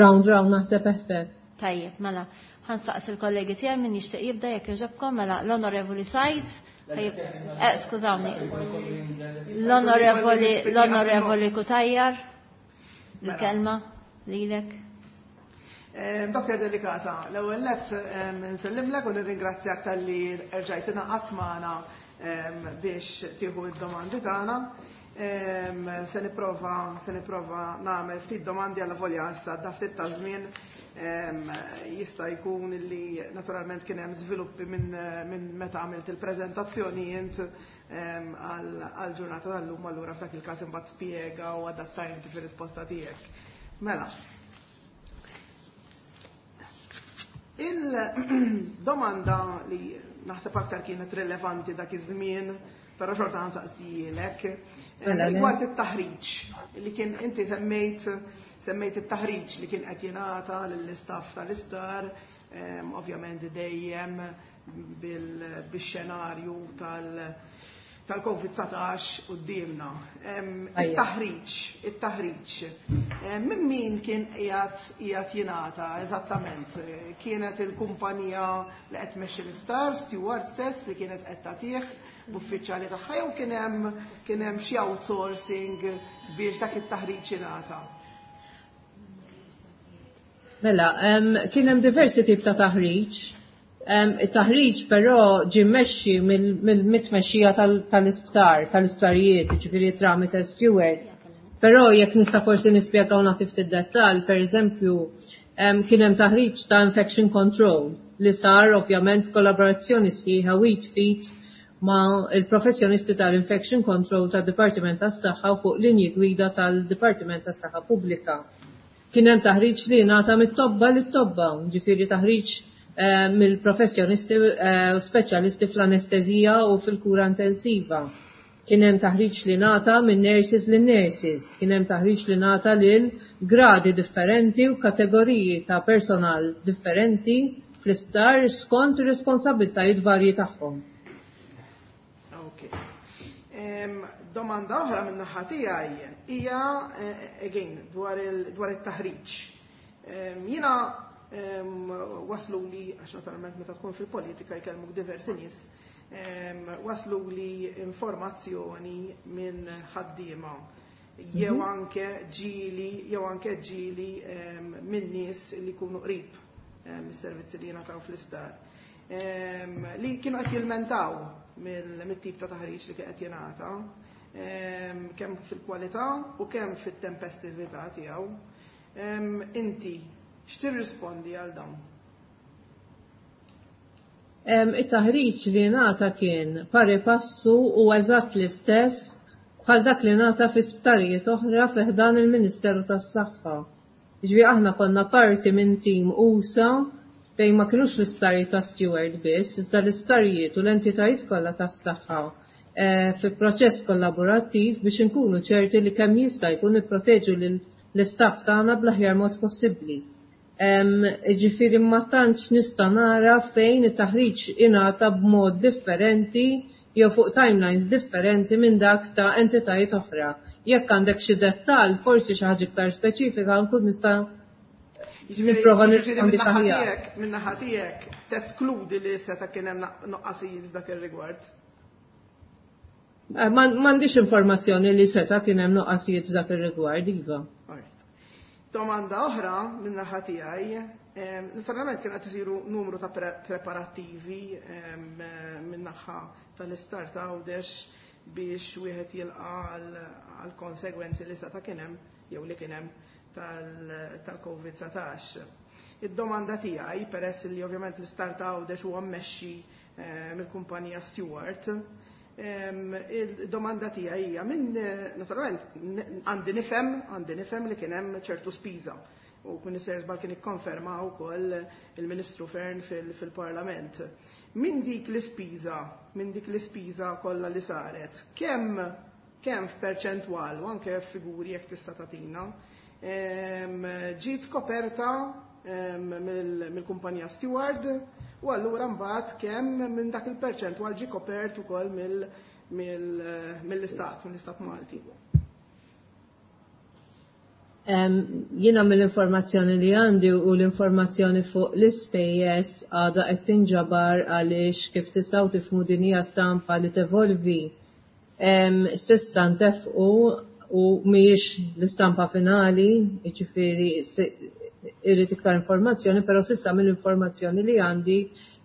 round round naħseb effett. Tajjeb, mela, ħa nsaqsi il-kollegi tiegħi min jixtieq jibda jekk jogħġobkom, mela l-Onorevoli Said. Skużawni. L-Onorevoli Cutajar, il-kelma lilek. Dr. Delicata, l-ewwel nett nsellimlek u nirringrazzjak talli erġajt ingħaqadt magħna biex tieħu id-domandi tagħna. Se nipprova nagħmel ftit domandi għal volja issa da ftit ta' żmien jista' jkun li naturalment kien hemm żviluppi minn meta għamilt il-preżentazzjoni int għal ġurnata tal-lum allura f'dak il-każ imbagħad spjega u adatta inti fir-risposta tiegħek. Mela. Il-domanda li Naħseb aktar kienet rilevanti dak iż-żmien, però xorta ħa nsaqsihielek. Mela, rigward it-taħriġ li kien inti semmejt it-taħriġ li kien qed jingħata lill-istaff tal-isptar, ovvjament dejjem bil-xenarju tal-Covid-19 quddiemna. It-taħriġ. Minn min kien qiegħed jingħata eżattament? Kienet il-kumpanija li qed tmexxi l-isptar, Steward stess li kienet qed tagħtih b'uffiċjali tagħha jew kien hemm xi outsourcing biex dak it-taħriġ jingħata? Mela, kien hemm diversi tip ta' taħriġ. Il-taħriġ però ġie mmexxi mill-mitmexxija tal-isptar, tal-isptarijiet, ġifieri tramite Steward. Però jekk nista' forsi nispjegaw nagħti ftit dettall, per eżempju, kien hemm taħriġ ta' infection control li sar ovvjament kollaborazzjoni sħiħa id f'id ma' il-professjonisti tal-infection control tad-Dipartiment tas-Saħħa u fuq linji gwida tal-Dipartiment tas-Saħħa Pubblika. Kien hemm taħriġ li ngħata mit-tobba lit-tobba, ġifieri taħriġ mill-professjonisti u speċjalisti fl-anestezija u fil-kura intensiva. Kien hemm taħriġ li ngħata minn nurses lil nurses, kien hemm taħriġ li ngħata lil gradi differenti u kategoriji ta' personal differenti fl-isptar skont ir-responsabbiltajiet varji tagħhom. Ok. Domanda oħra minn naħa tiegħi hija again dwar it-taħriġ. Jiena waslu li, għax naturalment meta tkun fil-politika jkellmuk diversi nies, waslu li informazzjoni minn ħaddiema jew anke ġieli minn nies li jkunu qrib is-servizzi li jingħataw fl-isptar, li kienu qed jilmentaw mit-tip ta' taħriġ li qed jingħata, kemm fil-kwalità u kemm fit-tempestività tiegħu. Inti x'tirrispondi għal dawn? It-taħriġ li ngħata kien pari passu u eżatt l-istess bħal dak li ngħata fi sptarijiet oħra fi ħdan il-Ministeru tas-Saħħa. Ġifieri aħna konna parti minn tim usa' fejn ma kinux l-isptarijiet ta' Steward biss, iżda l-isptarijiet u l-entitajiet kollha tas-saħħa fi proċess kollaborattiv biex inkunu ċerti li kemm jista' jkun nipproteġu l-istaff tagħna bl-aħjar mod possibbli. Ġifieri ma tantx nista' nara fejn it-taħriġ ingħata b'mod differenti jew fuq timelines differenti minn dak ta' entitajiet oħra. Jekk għandek xi dettall, forsi xi ħaġa iktar speċifika, nkun nista' nipprova nirrispondi aħjar. Min-naħa tiegħek teskludi li seta' kien hemm nuqqasijiet f'dak ir-rigward? M'għandix informazzjoni li seta' kien hemm nuqqasijiet f'dak ir-rigward, iva. Domanda oħra min-naħa tiegħi, naturalment kien qed isiru numru ta' preparattivi min-naħa tal-Isptar ta' Għawdex biex wieħed jilqa' għal konsegwenzi li seta' kien hemm jew li kien hemm tal-Covid-19. Id-domanda tiegħi, peress li ovvjament l-Isptar ta' Għawdex huwa mmexxi mill-kumpanija Steward, il-domanda tiegħi hija minn naturalment għandi nifhem li kien hemm ċertu spiża u kun żball kien ikkonferma wkoll il-Ministru Fearne fil-Parlament. Minn dik l-ispiża kollha li saret, kemm f'perċentwal u anke f'figuri jekk tista' tagħtina, ġiet koperta mill-kumpanija Steward u allura mbagħad kemm minn dak il-perċentwal ġie kopert ukoll mill-istat Malti? Jiena mill-informazzjoni li għandi u l-informazzjoni fuq l-ispejjeż għadha qed tinġabar għaliex kif tistgħu tifhmu din hija stampa li tevolvi. S'issa ntefqu u mhijiex l-istampa finali, jiġifieri irrid iktar informazzjoni, però s'issa mill-informazzjoni li għandi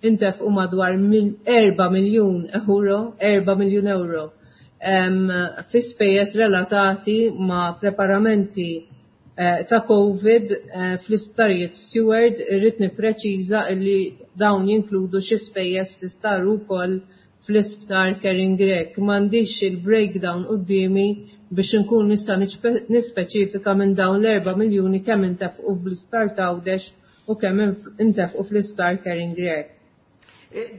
intefqu madwar 4 miljun euro, 4 miljun euro fi spejjeż relatati ma' preparamenti ta' Covid fl-isptarijiet Steward. Irrid nippreċiża li dawn jinkludu xi spejjeż li saru wkoll fl-isptar Karin Grech. M'għandix il-breakdown quddiemi biex inkun nista' nispeċifika minn dawn l-4 miljuni kemm intefqu fl-isptar t'Għawdex u kemm intefqu fl-isptar Karin Grech.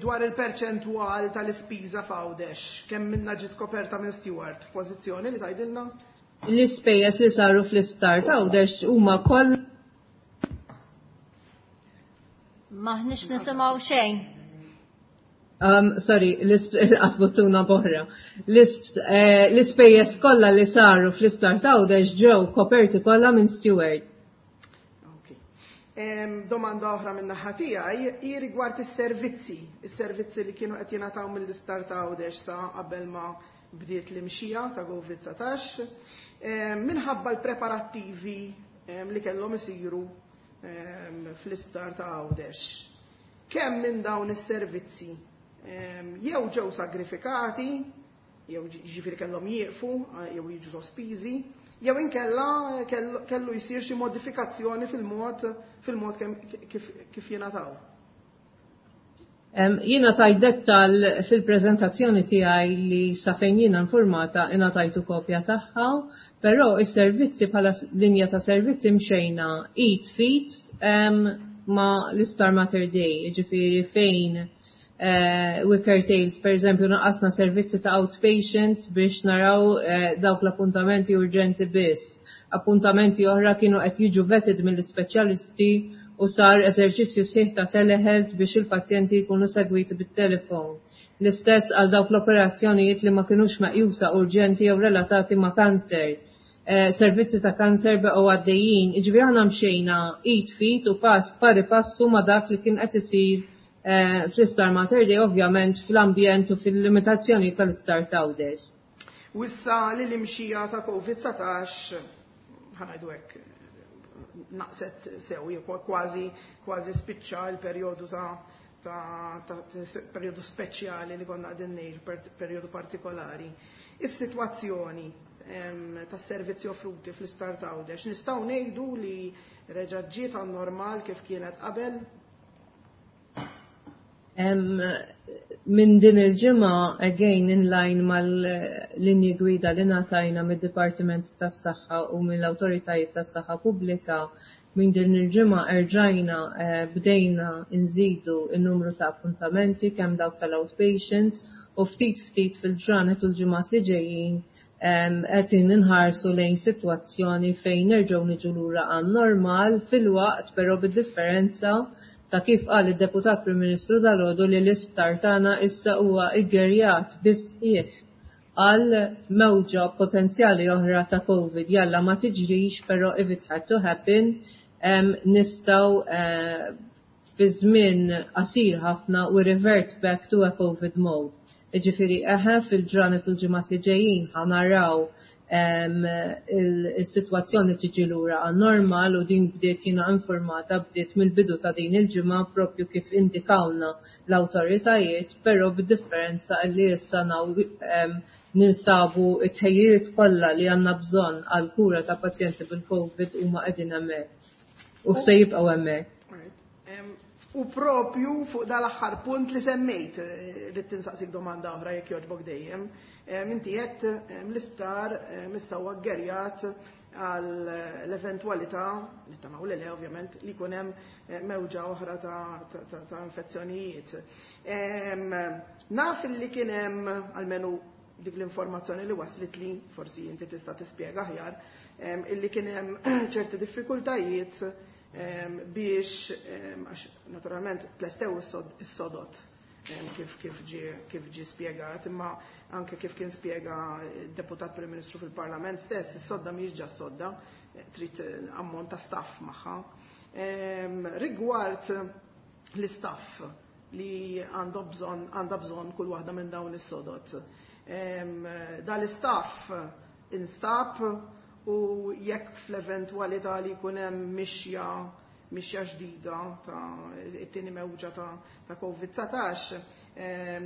Dwar il-perċentwal tal-ispiża f'Għawdex, kemm minnha ġiet koperta minn Steward, f'pożizzjoni li tgħidilna? L-ispejjeż li saru fl-isptar t'Għawdex huma koll M'aħniex nisimgħu xejn. Sorry, l-qatt boħra. L-ispejjeż kollha li saru fl-isptar t'Għawdex ġew koperti kollha minn Steward. Domanda oħra minn naħa tiegħi hi rigward is-servizzi, is-servizzi li kienu qed jingħataw mill-isptar ta' Għawdex sa qabel ma bdiet l-imxija ta' COVID-19. Minħabba l-preparattivi li kellhom isiru fl-isptar ta' Għawdex. Kemm minn dawn is-servizzi jew ġew sagrifikati, jew ġifieri kellhom jieqfu, jew jiġu sospiżi, jew inkella kellu jsir xi modifikazzjoni fil-mod kif jingħataw? Jiena tajt dettal fil-preżentazzjoni tiegħi li sa fejn jiena informata ingħatajtu kopja tagħha, però is-servizzi bħala linja ta' servizzi mxejna id f'id ma' l-Isptar Mater Dei, ġifieri fejn we curtailed, per eżempju, naqasna servizzi ta' outpatients biex naraw dawk l-appuntamenti urġenti biss. Appuntamenti oħra kienu qed jiġu vetted mill-ispeċjalisti u sar eżerċizzju sħiħ ta' telehealth biex il-pazjenti jkunu segwiti bit-telefon. L-istess għal dawk l-operazzjonijiet li ma kinux meqjusa urġenti jew relatati ma' kanser. Servizzi ta' kanser baqgħu għaddejjin, jiġifieri aħna mxejna id f'id u pass pari passu ma' dak li kien qed isir fl-Isptar Mater Dei, ovvjament fl-ambjent u fil-limitazzjoni tal-Isptar t'Għawdex. U issa li l-imxija ta' COVID-19, ħa ngħidu hekk, naqset sew, kważi spiċċa l-perjodu ta' perjodu speċjali li konna qegħdin ngħixu, perjodu partikolari. Is-sitwazzjoni tas servizzi offruti fl-Isptar t'Għawdex, nistgħu ngħidu li reġa' ġiet normal kif kienet qabel? Minn din il-ġimgħa, again in line mal-linji gwida li ngħatajna mid-Dipartiment tas-Saħħa u mill-Awtoritajiet tas-Saħħa Pubblika, minn din il-ġimgħa erġajna bdejna nżidu n-numru ta' appuntamenti kemm dawk tal-outpatients u ftit ftit fil-ġranet u l-ġimgħat li ġejjin qed inħarsu lejn sitwazzjoni fejn nerġgħu niġu lura għan normal filwaqt però bid-differenza ta' kif qal id-Deputat Prim Ministru dalgħodu li l-isptar tagħna issa huwa iggerjat bisħieħ għal mewġa potenzjali oħra ta' COVID. Jalla ma tiġrix, però if it had to happen, nistgħu fi żmien qasir ħafna we revert back to a COVID mode. Ġifieri eħe fil-ġranet u l-ġimgħat li ġejjin ħa naraw il-sitwazzjoni tiġi lura għan normal u din bdiet jiena informata bdiet mill-bidu ta' din il-ġimgħa propju kif indikawna l-awtoritajiet, però bid-differenza li issa naw ninsabu it-tħejjiet kollha li għandna bżonn għal kura ta' pazjenti bil-COVID huma qegħdin hemmhekk. U se jibqgħu hemmhekk. U propju fuq dal-aħħar punt li semmejt, rrid tinsaqsik domanda oħra jekk jogħġbok dejjem. Inti qed l-isptar issa huwa ggerjat għal l-eventwalità, nittamaw li le ovvjament, li jkun hemm mewġa oħra ta' infezzjonijiet. Naf li kien hemm almenu dik l-informazzjoni li waslet li, forsi inti tista' tispjega aħjar, illi kien hemm ċerti diffikultajiet biex, għax naturalment tlestew is-sodot kif ġie spjegat, imma anke kif kien spjega deputat Prim Ministru fil-Parlament stess, is-sodda mhijiex ġa sodda, trid ammont ta' staff magħha. Rigward l-istaff li għandha bżonn kull waħda minn dawn is-sodot. Dal-istaff instab u jekk fl-eventwalità li jkun hemm mixja ġdida ta' it-tieni mewġa ta' COVID-19,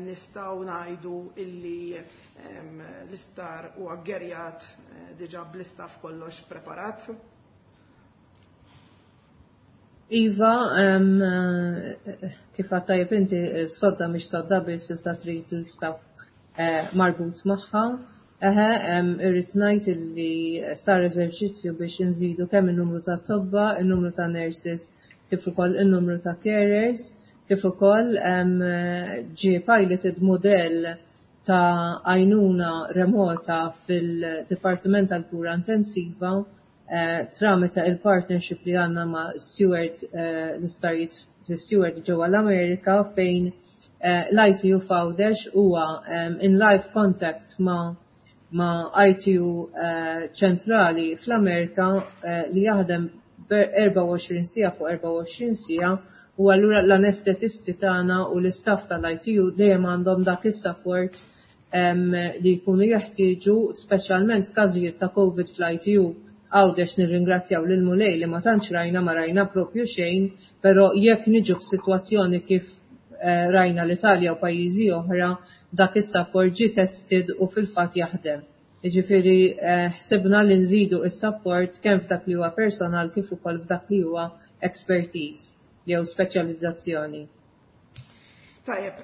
nistgħu ngħidu illi l-isptar huwa ggerjat diġà bl-istaff kollox preparat? Iva, kif għedt tajjeb inti, sodda mhix sodda biss iżda trid l-istaff marbut magħha. Eħe, irrid ngħid illi sar eżerċizzju biex inżidu kemm in-numru ta' tobba, in-numru ta' nurses, kif ukoll in-numru ta' carers. Kif ukoll ġie piloted modell ta' għajnuna remota fil-Dipartiment tal-Kura Intensiva tramite il-partnership li għandna ma' Steward, l-isptarijiet fi Steward ġewwa l-Amerika, fejn l-ITU f'Għawdex huwa in live contact ma' ITU ċentrali fl-Amerika li jaħdem 24 siegħa fuq 24 siegħa, u allura l-anestetisti tagħna u l-istaff tal-ITU dejjem għandhom dak is-support li jkunu jeħtieġu, speċjalment każijiet ta' COVID fl-ITU. Għawdex nirringrazzjaw lil Mulej li ma tantx rajna, ma rajna propju xejn, però jekk niġu f'sitwazzjoni kif rajna l-Italja u pajjiżi oħra, dak is-support ġie tested u fil-fatt jaħdem. Jiġifieri ħsibna li nżidu is-support kemm f'dak li huwa personal kif ukoll f'dak li huwa expertise jew speċjalizzazzjoni. Tajjeb,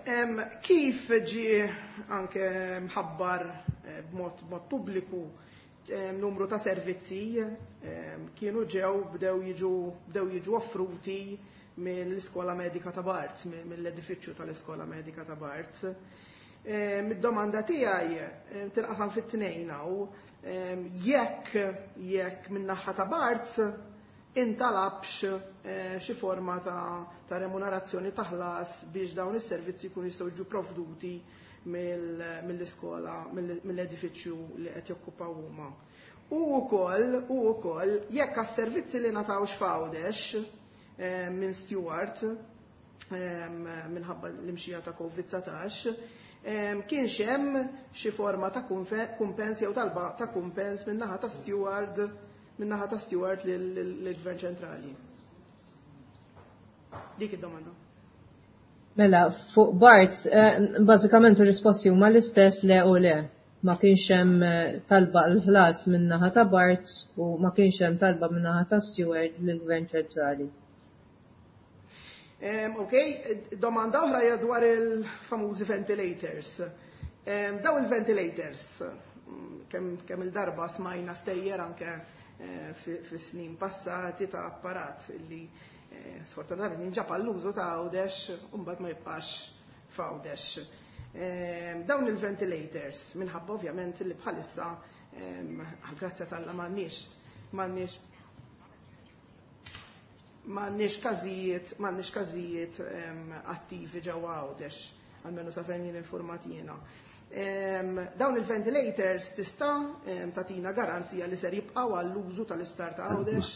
kif ġie anke mħabbar b'mod pubbliku, numru ta' servizzi kienu ġew bdew jiġu offruti mill-Iskola Medika ta' Barts, mill-edifiċċju tal-Iskola Medika ta' Barts. Mid-domanda tiegħi tinqasam fit-tnejn hawn, jekk min-naħa ta' Barts intalabx xi forma ta' remunerazzjoni, ta' ħlas, biex dawn is-servizzi jkunu jistgħu jiġu provduti mill-iskola, mill-edifiċċju li qed jokkupaw huma. U wkoll jekk għas-servizzi li ngħatawx f'Għawdex minn Steward minħabba l-imxija ta' COVID-19, kienx hemm xi forma ta' kumpens jew talba ta' kumpens min-naħa ta' Steward lill-Gvern Ċentrali. Dik id-domanda. Mela, fuq Barts, bażikament ir-risposti huma l-istess, le u le. Ma kienx hemm talba l-ħlas min-naħa ta' Barts u ma kienx hemm talba min-naħa ta' Steward lill-Gvern Ċentrali. Ok, domanda oħra hija dwar il-famużi ventilators. Daw il-ventilators, kemm il-darba smajna stejjer anke fi snin passati ta' apparat li sfortunatament jinġab għall-użu ta' Għawdex u mbagħad ma jibqax f'Għawdex. Dawn il-ventilators, minħabba ovvjament li bħalissa, għal-grazzja t'Alla, m'għandniex każijiet attivi ġewwa Għawdex, almenu sa fejn jien informat jiena. Dawn il-ventilators tista' tagħtina garanzija li ser jibqgħu għall-użu tal-isptar ta' Għawdex?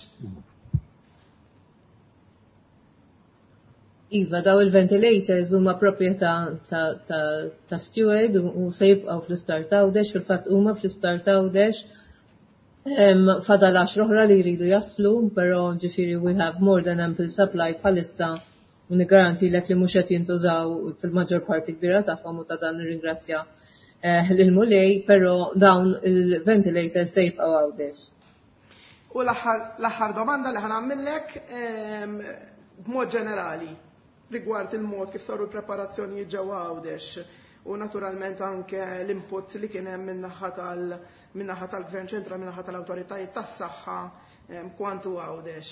Iva, daw il-ventilators huma proprjetà ta' Steward u se jibqgħu fl-isptar t'Għawdex, fil-fatt huma fl-isptar t'Għawdex. Fadal 10 oħra li jridu jaslu, però ġifieri we have more than ample supply bħalissa u nigarantilek li mhux qed jintużaw fil-maġġor parti kbira tagħhom u ta' dan nirringrazzja lill-Mulej, però dawn il-ventilators se jibqgħu Għawdex. U l-aħħar domanda li ħa nagħmillek, b'mod ġenerali rigward il-mod kif saru l-preparazzjonijiet ġewwa Għawdex u naturalment anke l-input li kien hemm min-naħa tal-Gvern Ċentra, min-naħa tal-awtoritajiet tas-saħħa kwantu Għawdex.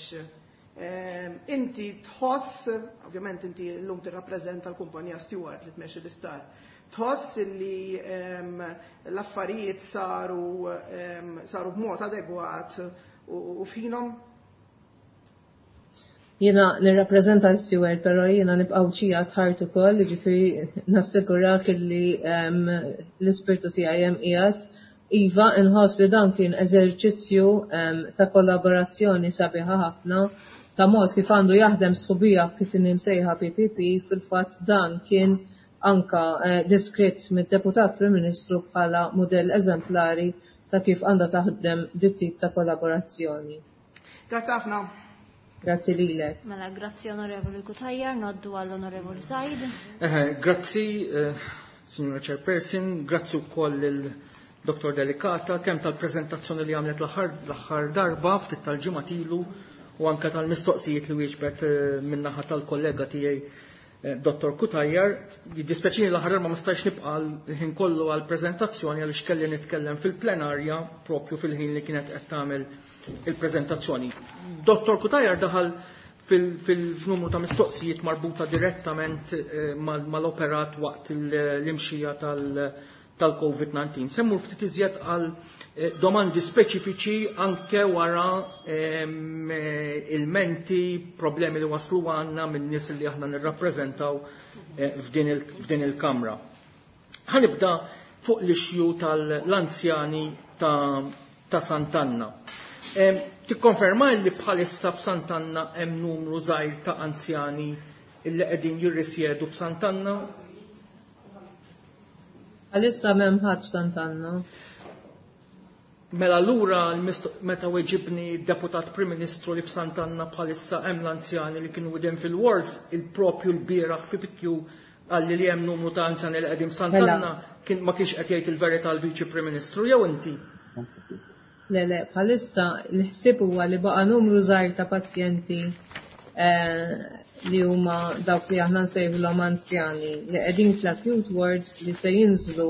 Inti tħoss, ovvjament inti llum tirrappreżenta l-kumpanija Steward li tmexxi l-isptar, tħoss li l-affarijiet saru b'mod adegwat u f'ħinhom? Jiena nirrappreżenta l-Steward, però jiena nibqa' Għawdxija at ukoll, ġifieri nassigurak li l-ispirtu tiegħi hemm qiegħed. Iva, inħoss li dan kien eżerċizzju ta' kollaborazzjoni sabiħa ħafna, ta' mod kif għandu jaħdem sħubija kif imsejħa PPP. Fil-fatt dan kien anka diskritt mid-Deputat Prim Ministru bħala modell eżemplari ta' kif għandha taħdem dit tip ta' kollaborazzjoni. Grazzi ħafna. Grazzi lilek. Mela, grazzi Onorevoli Cutajar, ngħaddu għall-Onorevoli Said. Grazzi, Signora Chairperson, grazzi wkoll il-Dr. Delicata, kemm tal-prezentazzjoni li għamlet l-aħħar darba ftit tal-ġimgħat ilu u anka tal-mistoqsijiet li wieġbet min-naħa tal-kollega tiegħi Dr. Cutajar. Jiddispjaċini, l-aħħar darba ma stajx nibqa' l-ħin kollu għall-preżentazzjoni għaliex kelli nitkellem fil-plenarja propju fil-ħin li kienet qed tagħmel il-preżentazzjoni. Dr. Cutajar daħal fil-numru ta' mistoqsijiet marbuta direttament mal-operat waqt l-imxija tal-COVID-19. Se mmur ftit iżjed għal domandi speċifiċi anke wara ilmenti, problemi li waslu għandna minn nies li aħna nirrappreżentaw f'din il-Kamra. Ħa nibda fuq l-issue tal-anzjani ta' Sant'Anna. Tikkonferma li bħalissa f'Sant'Anna hemm numru żgħir ta' anzjani illi qegħdin jirrisjedu f'Sant'Anna? Għalissa m'hemm ħadd f'Sant'Anna. Mela allura meta weġibni deputat Prim Ministru li f'Sant'Anna bħalissa hemm l-anzjani li kienu qegħdin fil-wards, il-propju l-bieraħ fi PQ qalli li hemm numru ta' anzjani li qegħdin f'Sant'Anna, kien ma kienx qed jgħid il-verità l-Viċi Prim Ministru jew inti? Le, le, bħalissa l-ħsieb huwa li baqa' numru żgħir ta' pazjenti li huma dawk li aħna nsejħulhom anzjani li qegħdin fl-acute wards li se jinżlu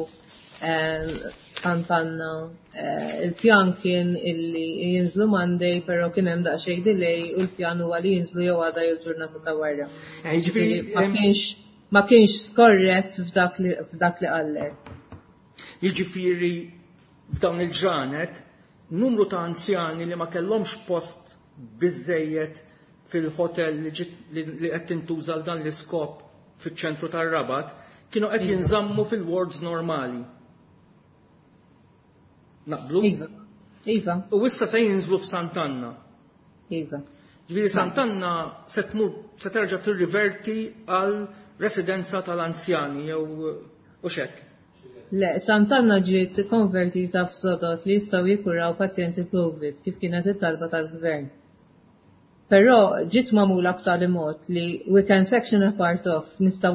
Sant'Anna. Il-pjan kien illi jinżlu Monday, però kien hemm daqsxejn delay u l-pjan huwa li jinżlu jew għada jew ġurnata ta' wara. Jiġifieri, Ma kienx skorrett f'dak li qallek. Jiġifieri f'dawn il-ġranet numru ta' anzjani li ma kellhomx post biżejjed fil-hotel li qed tintuża għal dan l-iskop fiċ-ċentru tar-Rabat kienu qed jinżammu fil-wards normali. Naqblu? Iva. Iva. U issa se jinżlu f'Sant'Anna. Iva. Ġifieri Sant'Anna se tmur se terġa' tirriverti għal residenza tal-anzjani jew u xek. Le, Sant'Anna ġiet konvertita f'sodod li jistgħu jikkuraw pazjenti COVID kif kienet it-talba tal-gvern. Però ġiet magħmula b'tali mod li we can section a part off, nistgħu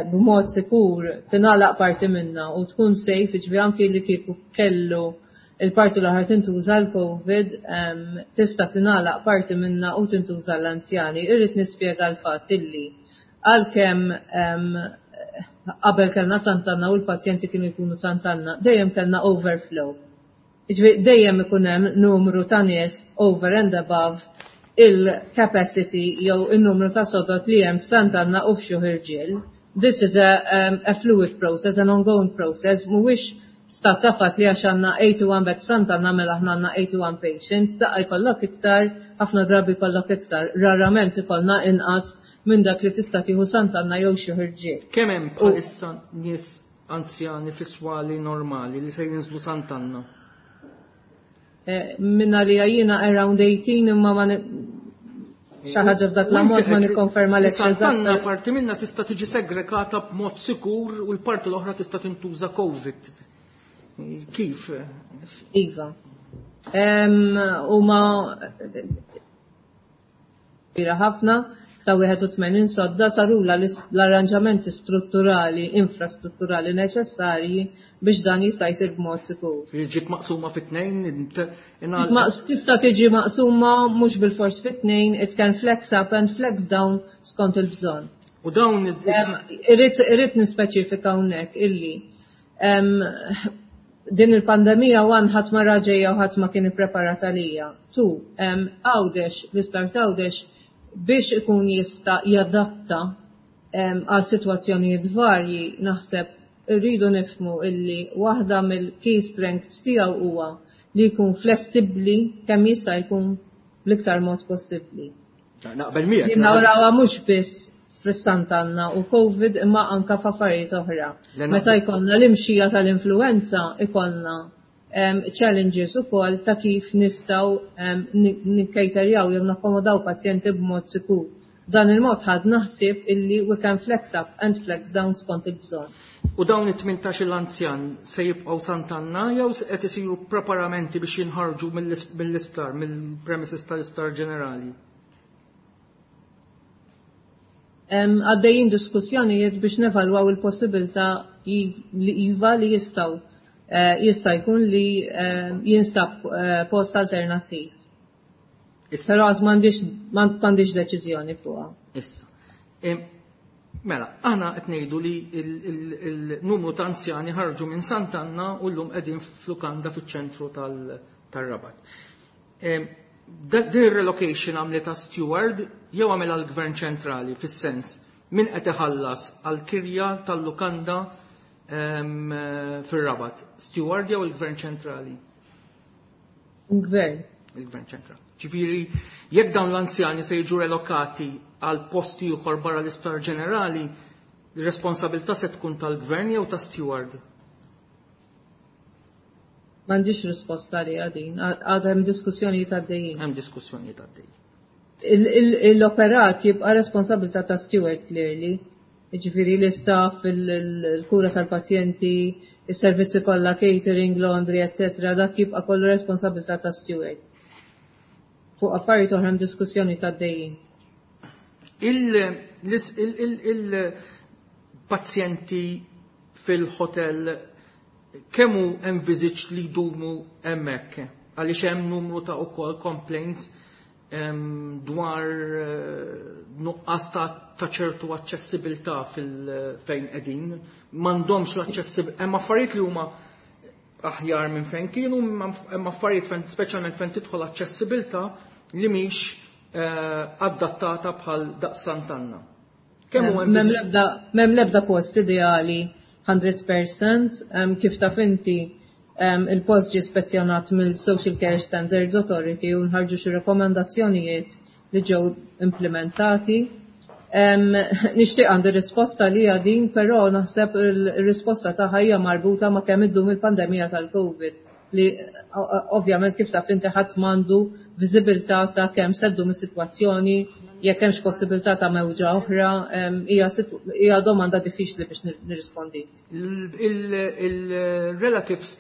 b'mod sikur tingħalaq parti minna u tkun safe, ġifieri anki li kieku kellu il-parti l-oħra tintuża l-COVID, tista' tingħalaq parti minna u tintuża l-anzjani. Irrid nispjega l-fatt illi għalkemm qabel kellna Sant'Anna u l-pazjenti kienu jkunu Sant'Anna, dejjem kellna overflow. Ġifieri dejjem ikun hemm numru ta' nies over and above il-capacity jew il-numru ta' sodod li hemm f'Sant'Anna u f'Xjuħ Irġiel. This is a fluid process, an ongoing process, mhuwiex stat ta' fatt li għax għandna 81 bed Sant'Anna mela aħna għandna 81 patients, daqqa jkollok iktar, ħafna drabi jkollok iktar, rarament ikollna inqas minn dak li tista' tieħu Sant'Anna jew Xjuħ Irġiel. Kemm hemm bħalissa nies anzjani fi swali normali li se jinżlu Sant'Anna? Minna li jiena around 18, imma ma xi ħaġa f'dak l-ammont ma nikkonferma l Sant'Anna parti minna tista' tiġi segregata b'mod sikur u l-parti l-oħra tista' tintuża COVID. Kif? Iva. Huma kbira ħafna ta' 81 sodda sarula l-arranġamenti strutturali, infrastrutturali neċessarji biex dan jista' jsir b'mod sikur. Ġiet maqsuma fit-tnejn? Tista' tiġi maqsuma mhux bil-fors fit-tnejn, it can flex up and flex down skont il-bżonn. U dawn Irrid nispeċifika hawnhekk illi din il-pandemija one ħadd ma raġejja u ħadd ma kien ippreparat għalija. Two, Għawdex, l-isptar Għawdex biex ikun jista' jadatta għal sitwazzjonijiet varji, naħseb irridu nifhmu illi waħda mill-key strengths tiegħu huwa li jkun flessibbli kemm jista' jkun bl-iktar mod possibbli. Naqbel miegħek. Li nawrawha mhux biss fis-Sant'Anna u COVID imma anka f'affarijiet oħra. Meta jkollna l-imxija tal-influenza ikollna challenges ukoll ta' kif nistgħu nikkejterjaw jew nakkomodaw pazjenti b'mod sikur. Dan il-mod ħad naħseb illi we can flex up and flex down skont il-bżonn. U dawn it-18 l-anzjan se jibqgħu Sant'Anna jew qed isiru preparamenti biex jinħarġu mill-isptar, mill-premises tal-isptar ġenerali? Għaddejjin diskussjonijiet biex nevalwaw il-possibilità li iva li jistgħu jista' jkun li jinstab post alternattiv. Issa. Però għad m'għandix deċiżjoni fuqha. Issa. Mela, aħna qed ngħidu li il-numru ta' anzjani ħarġu minn Sant'Anna u llum qegħdin f'lukanda fiċ-ċentru tar-Rabat. Din relocation għamlitha Steward jew għamilha l-Gvern ċentrali, fis-sens min qed iħallas għal kirja tal-lukanda fir-Rabat? Steward jew il-Gvern ċentrali? Il-Gvern. Il-Gvern ċentrali. Ġifieri, jekk dawn l-anzjani se jiġu relokati għal posti ieħor barra l-Isptar Ġenerali, ir-responsabilità se tkun tal-Gvern jew ta' Steward? M'għandix risposta li għadin, għad hemm diskussjonijiet għaddejjin. Hemm diskussjonijiet għaddejjin. L-operat jibqa' responsabilità ta' Steward clearly. Ġifieri l-istaff, il-kura tal-pazjenti, is-servizzi kollha, catering, laundry, etc. Dak jibqa' kollu responsabilità ta' Steward. Fuq affarijiet oħra hemm diskussjoni għaddejjin. Il-pazjenti fil-hotel kemm hu envisaged li jdumu hemmhekk? Għaliex hemm numru ta' ukoll complaints dwar nuqqas ta' ċertu aċċessibilità fil-fejn qegħdin. M'għandhomx l-aċċessibilità. Hemm affarijiet li huma aħjar minn fejn kienu, hemm affarijiet fejn speċjalment fejn tidħol aċċessibilità li mhix adattata bħal daqs Sant'Anna. Kemm hu M'hemm l-ebda post ideali 100%, kif taf inti il-post ġie spezzjonat mill-Social Care Standards Authority u nħarġu xi rekomendazzjonijiet li ġew implementati. Nixtieq għandi risposta li hija din, però naħseb il-risposta tagħha hija marbuta ma' kemm iddum il-pandemija tal-COVID li ovvjament kif taf inti ħadd m'għandu viżibilità ta' kemm se ddum is-sitwazzjoni, jekk hemmx possibilità ta' mewġa oħra, hija domanda diffiċli biex nirrispondi. Il-relatives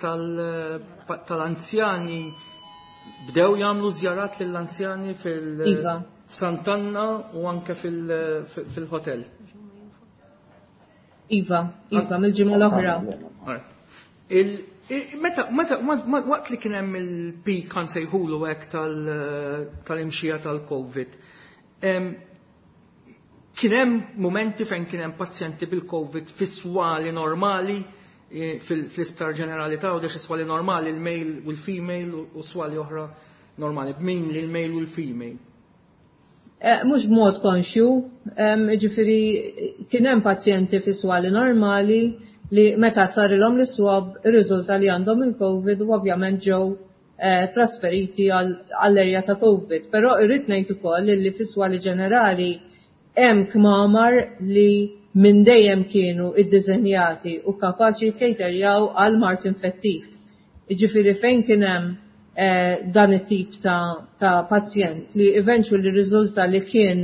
tal-anzjani bdew jagħmlu żjarat lill-anzjani fil- Iva. Sant'Anna u anke fil-hotel. Iva, iva, mill-ġimgħa l-oħra. Waqt li kien hemm il-peak kan sejħulu hekk tal-imxija tal-COVID, kien hemm momenti fejn kien hemm pazjenti bil-COVID fis-swali normali, fl-Isptar Ġenerali ta' Għawdex swali normali, il-male u l-female u swali oħra normali, b'min li l-male u l-female. Mhux b'mod konxju, ġifieri kien hemm pazjenti fi swali normali li meta sarilhom l-swab irriżulta li għandhom il-COVID u ovvjament ġew trasferiti għall-erja ta' COVID. Però irrid ngħid ukoll li fi swali ġenerali hemm kmamar li minn dejjem kienu iddiżenjati u kapaċi jkejterjaw għal mard infettiv. Jiġifieri fejn kien hemm dan it-tip ta' pazjent li eventually riżulta li kien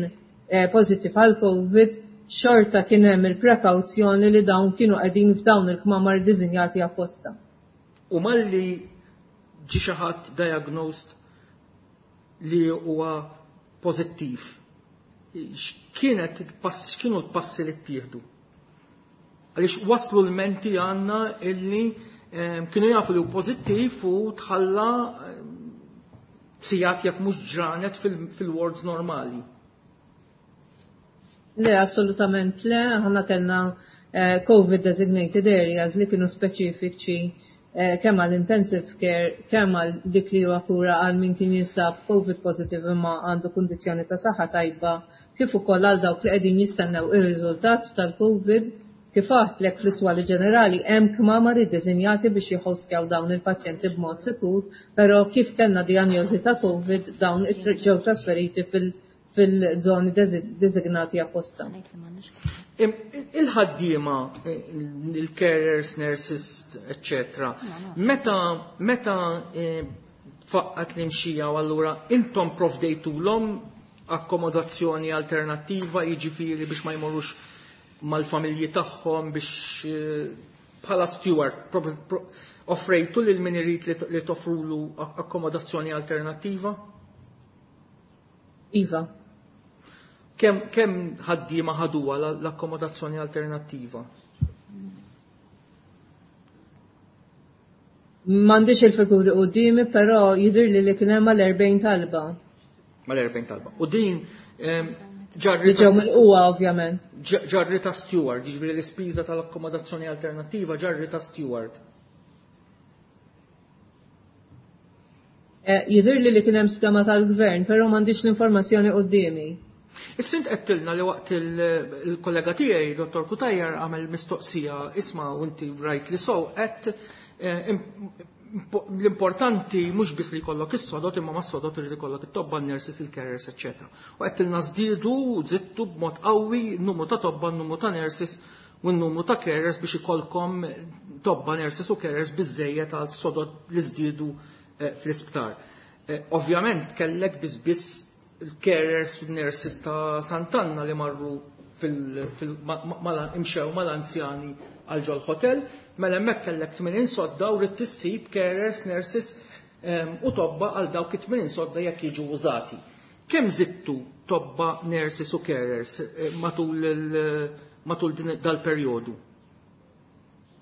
pożittiv għal COVID, xorta kien hemm il-prekawzjoni li dawn kienu qegħdin f'dawn il-kmamar diżinjati apposta. U malli ġi xi ħadd diagnosed li huwa pożittiv, x'kienu l-passi li ttieħdu? Għaliex waslu l-menti għandna illi kienu jafu li hu pożittiv u tħalla sigħat jekk mhux ġranet fil-wards normali. Le, assolutament le, aħna kellna COVID designated areas li kienu speċifiċi kemm għal intensive care, kemm għal dik li huwa kura għal min kien jinsab COVID positive imma għandu kundizzjoni ta' saħħa tajba, kif ukoll għal dawk li qegħdin jistennew ir-riżultat tal-COVID. Kif għedtlek fl-iswali ġenerali hemm kmamar iddiżinjati biex jħostjaw dawn il-pazjenti b'mod sikur, però kif kellna dijanjosi ta' COVID dawn ġew trasferiti fil-żoni designati apposta. Il-ħaddiema, il-carers, nurses, eccetera, meta faqqat l-imxija u allura intom provdejtulhom akkomodazzjoni alternattiva, jiġifieri biex ma jmorrux mal-familji tagħhom biex bħala steward offrejtu lil min irid li toffrulu akkomodazzjoni alternattiva? Iva. Kemm ħaddiema ħaduha l-akkomodazzjoni alternattiva? M'għandix il-figuri quddiemi, però jidhirli li kien hemm mal-40 talba. Mal-40 talba. U din Li ġew mill-qwa, ovvjament. Ġarri ta' steward, jiġifieri l-ispiża tal-akkomodazzjoni alternattiva ġarri ta' steward. Jidhirli li kien hemm skema tal-gvern, però m'għandix l-informazzjoni quddiemi. Issa int għedtilna li waqt il-kollega tiegħi, Dottor Cutajar, għamel mistoqsija, isma' u inti rightly so, għedt l-importanti mhux biss li jkollok is-sodod imma mas-sodod irid ikollok it-tobba, n-nurses, il-carers, eċċetera. U għedtilna żdiedu, żidtu b'mod qawwi n-numru ta' tobba, n-numru ta' nurses u n-numru ta' carers biex ikollkom tobba, nurses u carers biżżejjed għal sodod li żdiedu fl-isptar. Ovvjament kellek biss biss il-carers u nurses ta' Sant'Anna li marru imxew mal-anzjani għal ġol hotel, mela hemmhekk kellek 80 sodda u ridt issib carers, nurses u tobba għal dawk it-80 sodda jekk jiġu użati. Kemm żidtu tobba, nurses u carers matul dal-perjodu?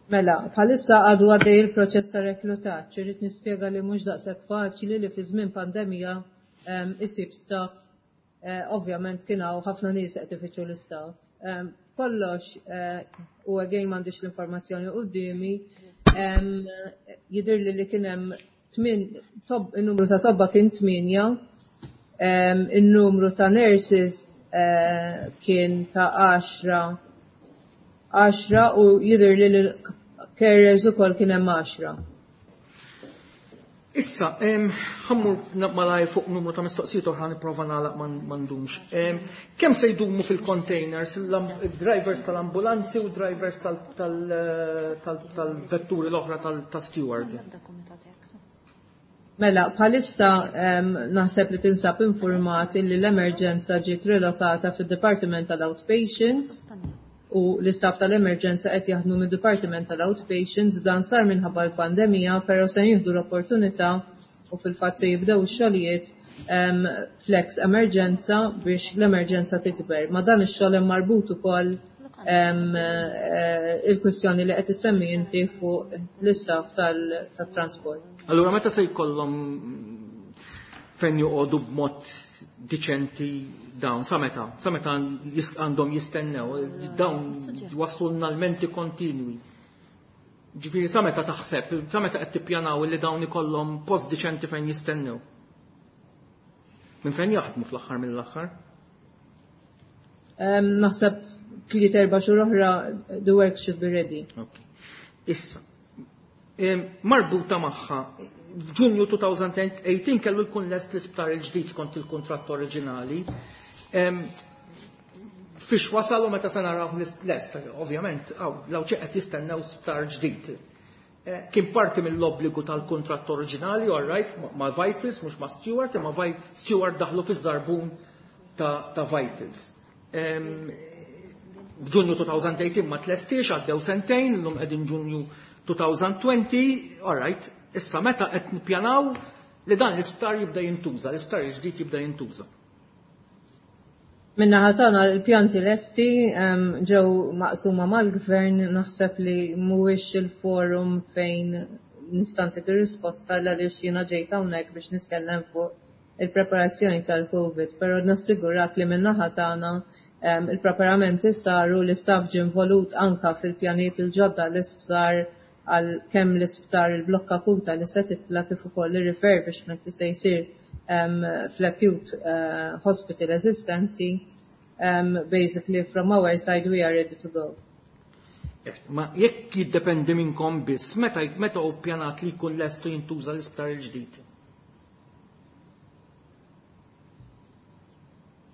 Mela, bħalissa għadu għaddej il-proċess ta' reklutaġġ, irrid nispjega li mhux daqshekk faċli li fi żmien pandemija isib staff, ovvjament kien hawn ħafna nies qed ifittxu l-istaff. Kollox, u again m'għandix l-informazzjoni quddiemi, jidhirli li kien hemm il-numru ta' tobba kien 8, il-numru ta' nurses kien ta' 10 u jidher li l-carers ukoll kien hemm 10. Issa, ħa mmur malajr fuq numru ta' mistoqsijiet oħra, nipprova nagħlaq, ma ndumx. Kemm se jdumu fil-containers il-drivers tal-ambulanzi u drivers tal-vetturi l-oħra ta' Steward? Mela, bħalissa naħseb li tinsab informat illi l-emerġenza ġiet relokata fid-Departiment tal-Outpatients u l-istaff tal-emerġenza qed jaħdmu mid-Departiment tal-Outpatients. Dan sar minħabba l-pandemija, però se jieħdu l-opportunità u fil-fatt se jibdew ix-xogħlijiet flex emerġenza biex l-emerġenza tikber. Ma dan ix-xogħol hemm marbut ukoll il-kwistjoni li qed issemmi inti fuq l-istaff tat-transport. Allura meta se jkollhom fejn joqogħdu b'mod diċenti dawn, sa meta? Sa meta għandhom jistennew? Dawn waslulna l-menti kontinwi. Ġifieri sa meta taħseb, sa meta qed tippjanaw li dawn ikollhom post diċenti fejn jistennew? Minn fejn jaħdmu fl-aħħar mill-aħħar? Naħseb 3-4 xhur oħra the work should be ready. Okay. Issa, marbuta magħha, f'Ġunju 2018 kellu jkun lest l-isptar il-ġdid skont il-kuntratt oriġinali. Fiex wasal u meta se naraw lest, ovvjament, l-Għawdxi qed jistennew sptar ġdid. Kien parti mill-obbligu tal-kuntratt oriġinali, all right, ma' Vitals, mhux ma' Steward, imma Steward daħlu fiż-żarbun ta' Vitals. F'Ġunju 2018 ma tlestiex, għaddew sentejn, llum qegħdin Ġunju 2020, all right, issa meta qed nippjanaw li dan l-isptar jibda jintuża, l-isptar il-ġdid jibda jintuża? Min-naħa tagħna l-pjanti lesti, ġew maqsuma mal-gvern, naħseb li mhuwiex il-forum fejn nista' ntik ir-risposta għaliex jiena ġejt hawnhekk biex nitkellem fuq il-preparazzjoni tal-Covid, però nassigurak li min-naħa tagħna il-preparamenti saru, l-istaff ġie involut anka fil-pjanijiet il-ġodda l-isptar għal kemm l-isptar il-blokka akuta li se titla kif ukoll ir-refurbishment li se jsir fl-acute hospital eżistenti. Basically from our side we are ready to go. Ma jekk jiddependi minnkom biss, meta hu ppjanat li jkun lestu jintuża l-isptar il-ġdid?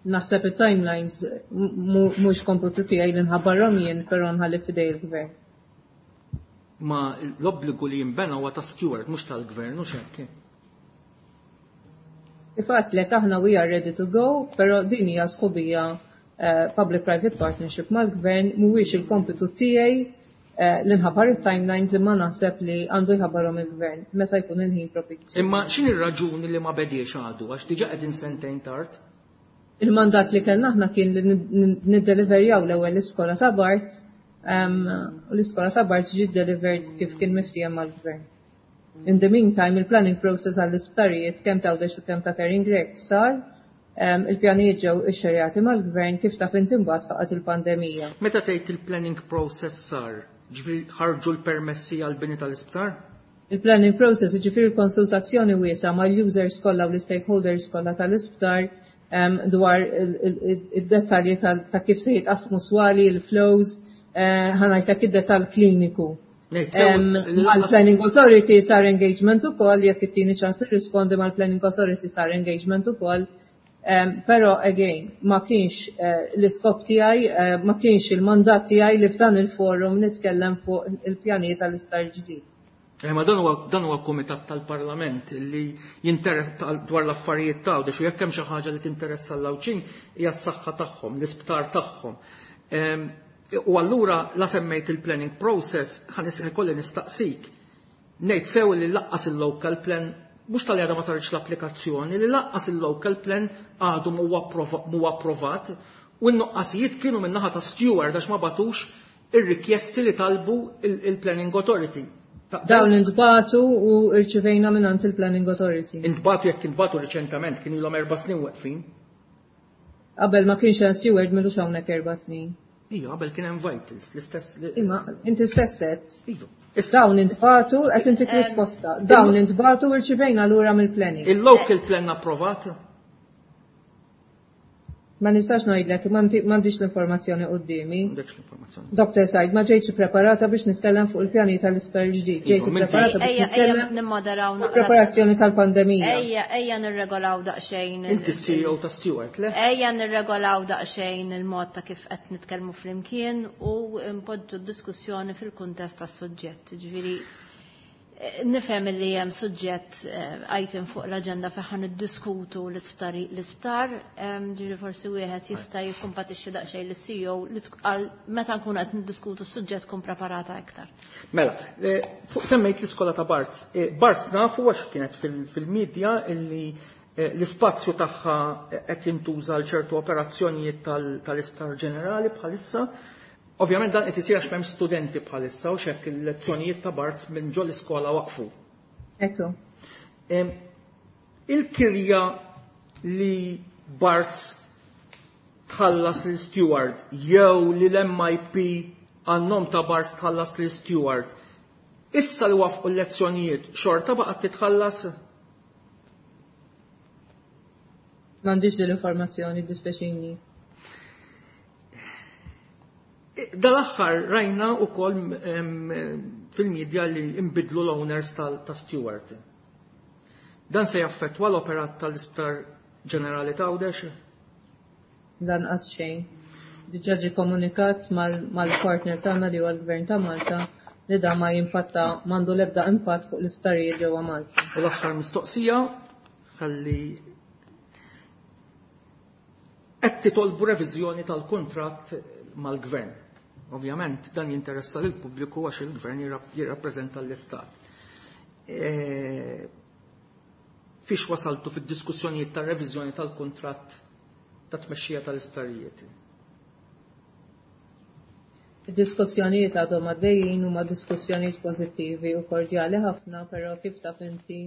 Naħseb it-timelines mhux kompitu tiegħi li nħabbarhom jien, però nħalli f'idej il-gvern. Ma l-obbligu li jinbena huwa ta' Steward, mhux tal-gvern, mhux hekk? Kif għedtlek, aħna we are ready to go, però din hija sħubija public-private partnership mal-gvern, mhuwiex il-kompitu tiegħi li nħabbar it-timelines, imma naħseb li għandu jħabbarhom il-gvern meta jkun il-ħin propizju. Imma x'inhi r-raġuni li ma bediex għadu, għax diġà qegħdin sentejn tard? Il-mandat li kellna aħna kien li niddeliverjaw l-ewwel l-iskola ta' Barts, u l-iskola ta' Barts ġiet delivered kif kien miftiehem mal-gvern. In the meantime, il-planning process għall-isptarijiet kemm ta' Għawdex u kemm ta' Karin Grech sar, il-pjanijiet ġew ixxerjati mal-gvern, kif taf inti mbagħad faqgħet il-pandemija. Meta tgħid il-planning process sar, ġifieri ħarġu l-permessi għall-bini tal-isptar? Il-planning process, ġifieri konsultazzjoni wiesgħa mal-users kollha u l-stakeholders kollha tal-isptar dwar id-dettalji ta' kif se jitqasmu swali, il-flows, ħa ngħidlek id-dettall kliniku. Mal-Planning Authority sar engagement ukoll, jekk ittini ċans nirrispondi, mal-Planning Authority sar engagement ukoll. Però again, ma kienx l-iskop tiegħi, ma kienx il-mandat tiegħi li f'dan il-forum nitkellem fuq il-pjanijiet tal-isptar ġdid. Ma dan huwa komitat tal-Parlament li jinteress dwar l-affarijiet ta' u jekk hemm xi ħaġa li tinteressa l-Għawdxin hija s-saħħa tagħhom, l-isptar tagħhom. U allura la semmejt il-planning process, ħa jkolli nistaqsik. Ngħid sew li lanqas il-local plan, mhux talli għadha ma saritx l-applikazzjoni, li lanqas il-local plan għadu mhu approvat u n-nuqqasijiet kienu min-naħa ta' Steward għax ma bagħtux ir-rikjesti li talbu il-Planning Authority. Dawn intbagħtu u rċivejna minn il-Planning Authority. Intbagħtu, jekk intbagħtu riċentament, kien ilhom 4 snin weqfin. Qabel ma kienx hemm Steward, m'ilux hawnhekk 4 snin. Iva, qabel kien hemm Vitals, l-istess. Imma inti stess qed. Iva. Dawn intbagħtu, qed intik risposta. Dawn intbagħtu u rċivejna lura mill-planning. Il-local plan approvat? Ma nistax ngħidlek, m'għandix l-informazzjoni quddiemi. M'għandekx l-informazzjoni. Dr. Said, ma ġejtx preparata biex nitkellem fuq il-pjani tal-isptar ġdid. Ġejt Iva, preparata biex Ejja, ejja nitkellem nimmoderaw fuq preparazzjoni tal-pandemija. Ejja, ejja nirregolaw daqsxejn. Inti CEO ta' Steward, le? Ejja nirregolaw daqsxejn il-mod ta' kif qed nitkellmu flimkien u npoġġu d-diskussjoni fil-kuntest tas-suġġett. Ġifieri nifhem li hemm suġġett item fuq l-aġenda fejn ħa niddiskutu l-isptar, ġifieri forsi wieħed jista' jikkumpatixxi daqsxejn lis-CEO li għal meta nkunu qed niddiskutu s-suġġett tkun preparata iktar. Mela, fuq semmejt l-iskola ta' Barts. Barts nafu għax kienet fil-medja illi l-ispazju tagħha qed jintuża għal ċertu operazzjonijiet tal-isptar ġenerali bħalissa. Ovvjament dan qed isir għax m'hemm studenti bħalissa u xekk il-lezzjonijiet ta' Barts minn ġol iskola waqfu. Ekku. Il-kirja li Barts tħallas lil Steward jew li l-MIP għan-nom ta' Barts tħallas lil Steward, issa li waqfu l-lezzjonijiet xorta baqgħet titħallas? M'għandix din l-informazzjoni, dispjaċini. Dal-aħħar rajna ukoll fil-medja li imbidlu l-owners ta' Steward. Dan se jaffettwa l-operat tal-Isptar Ġenerali ta' Għawdex? Lanqas xejn. Diġà ġie komunikat mal-partner tagħna li huwa l-Gvern ta' Malta li da ma jimpatta, m'għandu l-ebda impatt fuq l-isptarijiet ġewwa Malta. U l-aħħar mistoqsija, ħalli qed titolbu reviżjoni tal-kuntratt mal-gvern. Ovvjament dan jinteressa lil pubbliku għax il-gvern jirrappreżenta l-istat. Fiex wasaltu fid-diskussjonijiet tar-reviżjoni tal-kuntratt ta' tmexxija tal-isptarijiet? Id-diskussjonijiet għadhom għaddejjin, huma diskussjonijiet pożittivi u kordjali ħafna, però kif taf inti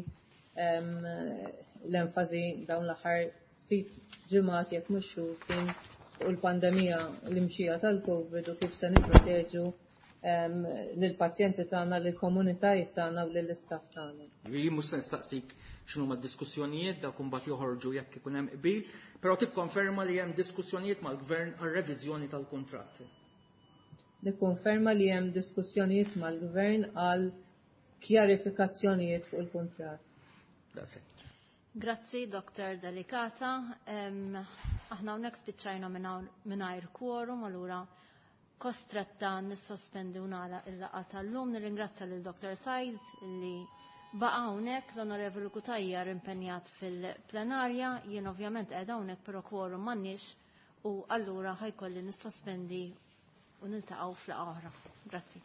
l-enfasi dawn l-aħħar ftit ġimgħat, jekk mhux xhur, kien fuq il-pandemija, l-imxija tal-Covid u kif se nipproteġu lill-pazjenti tagħna, lill-komunitajiet tagħna u lill-istaff tagħna. Jien mhux se nistaqsik x'inhu d-diskussjonijiet, dak imbagħad joħorġu jekk ikun hemm qbil, però tikkonferma li hemm diskussjonijiet mal-gvern għar-reviżjoni tal-kuntratt. Nikkonferma li hemm diskussjonijiet mal-gvern għal kjarifikazzjonijiet fuq il-kuntratt. That's it. Grazzi, Dr. Delicata. Aħna hawnhekk spiċċajna mingħajr quorum, allura kostretta nissospendi u nagħlaq il-laqgħa tal-lum. Nirringrazzja lil Dr. Said li baqa' hawnhekk, l-Onorevoli Cutajar impenjat fil-plenarja, jien ovvjament qiegħda hawnhekk, però quorum m'għandniex u allura ħa jkolli nissospendi u niltaqgħu f'laqgħa oħra. Grazzi.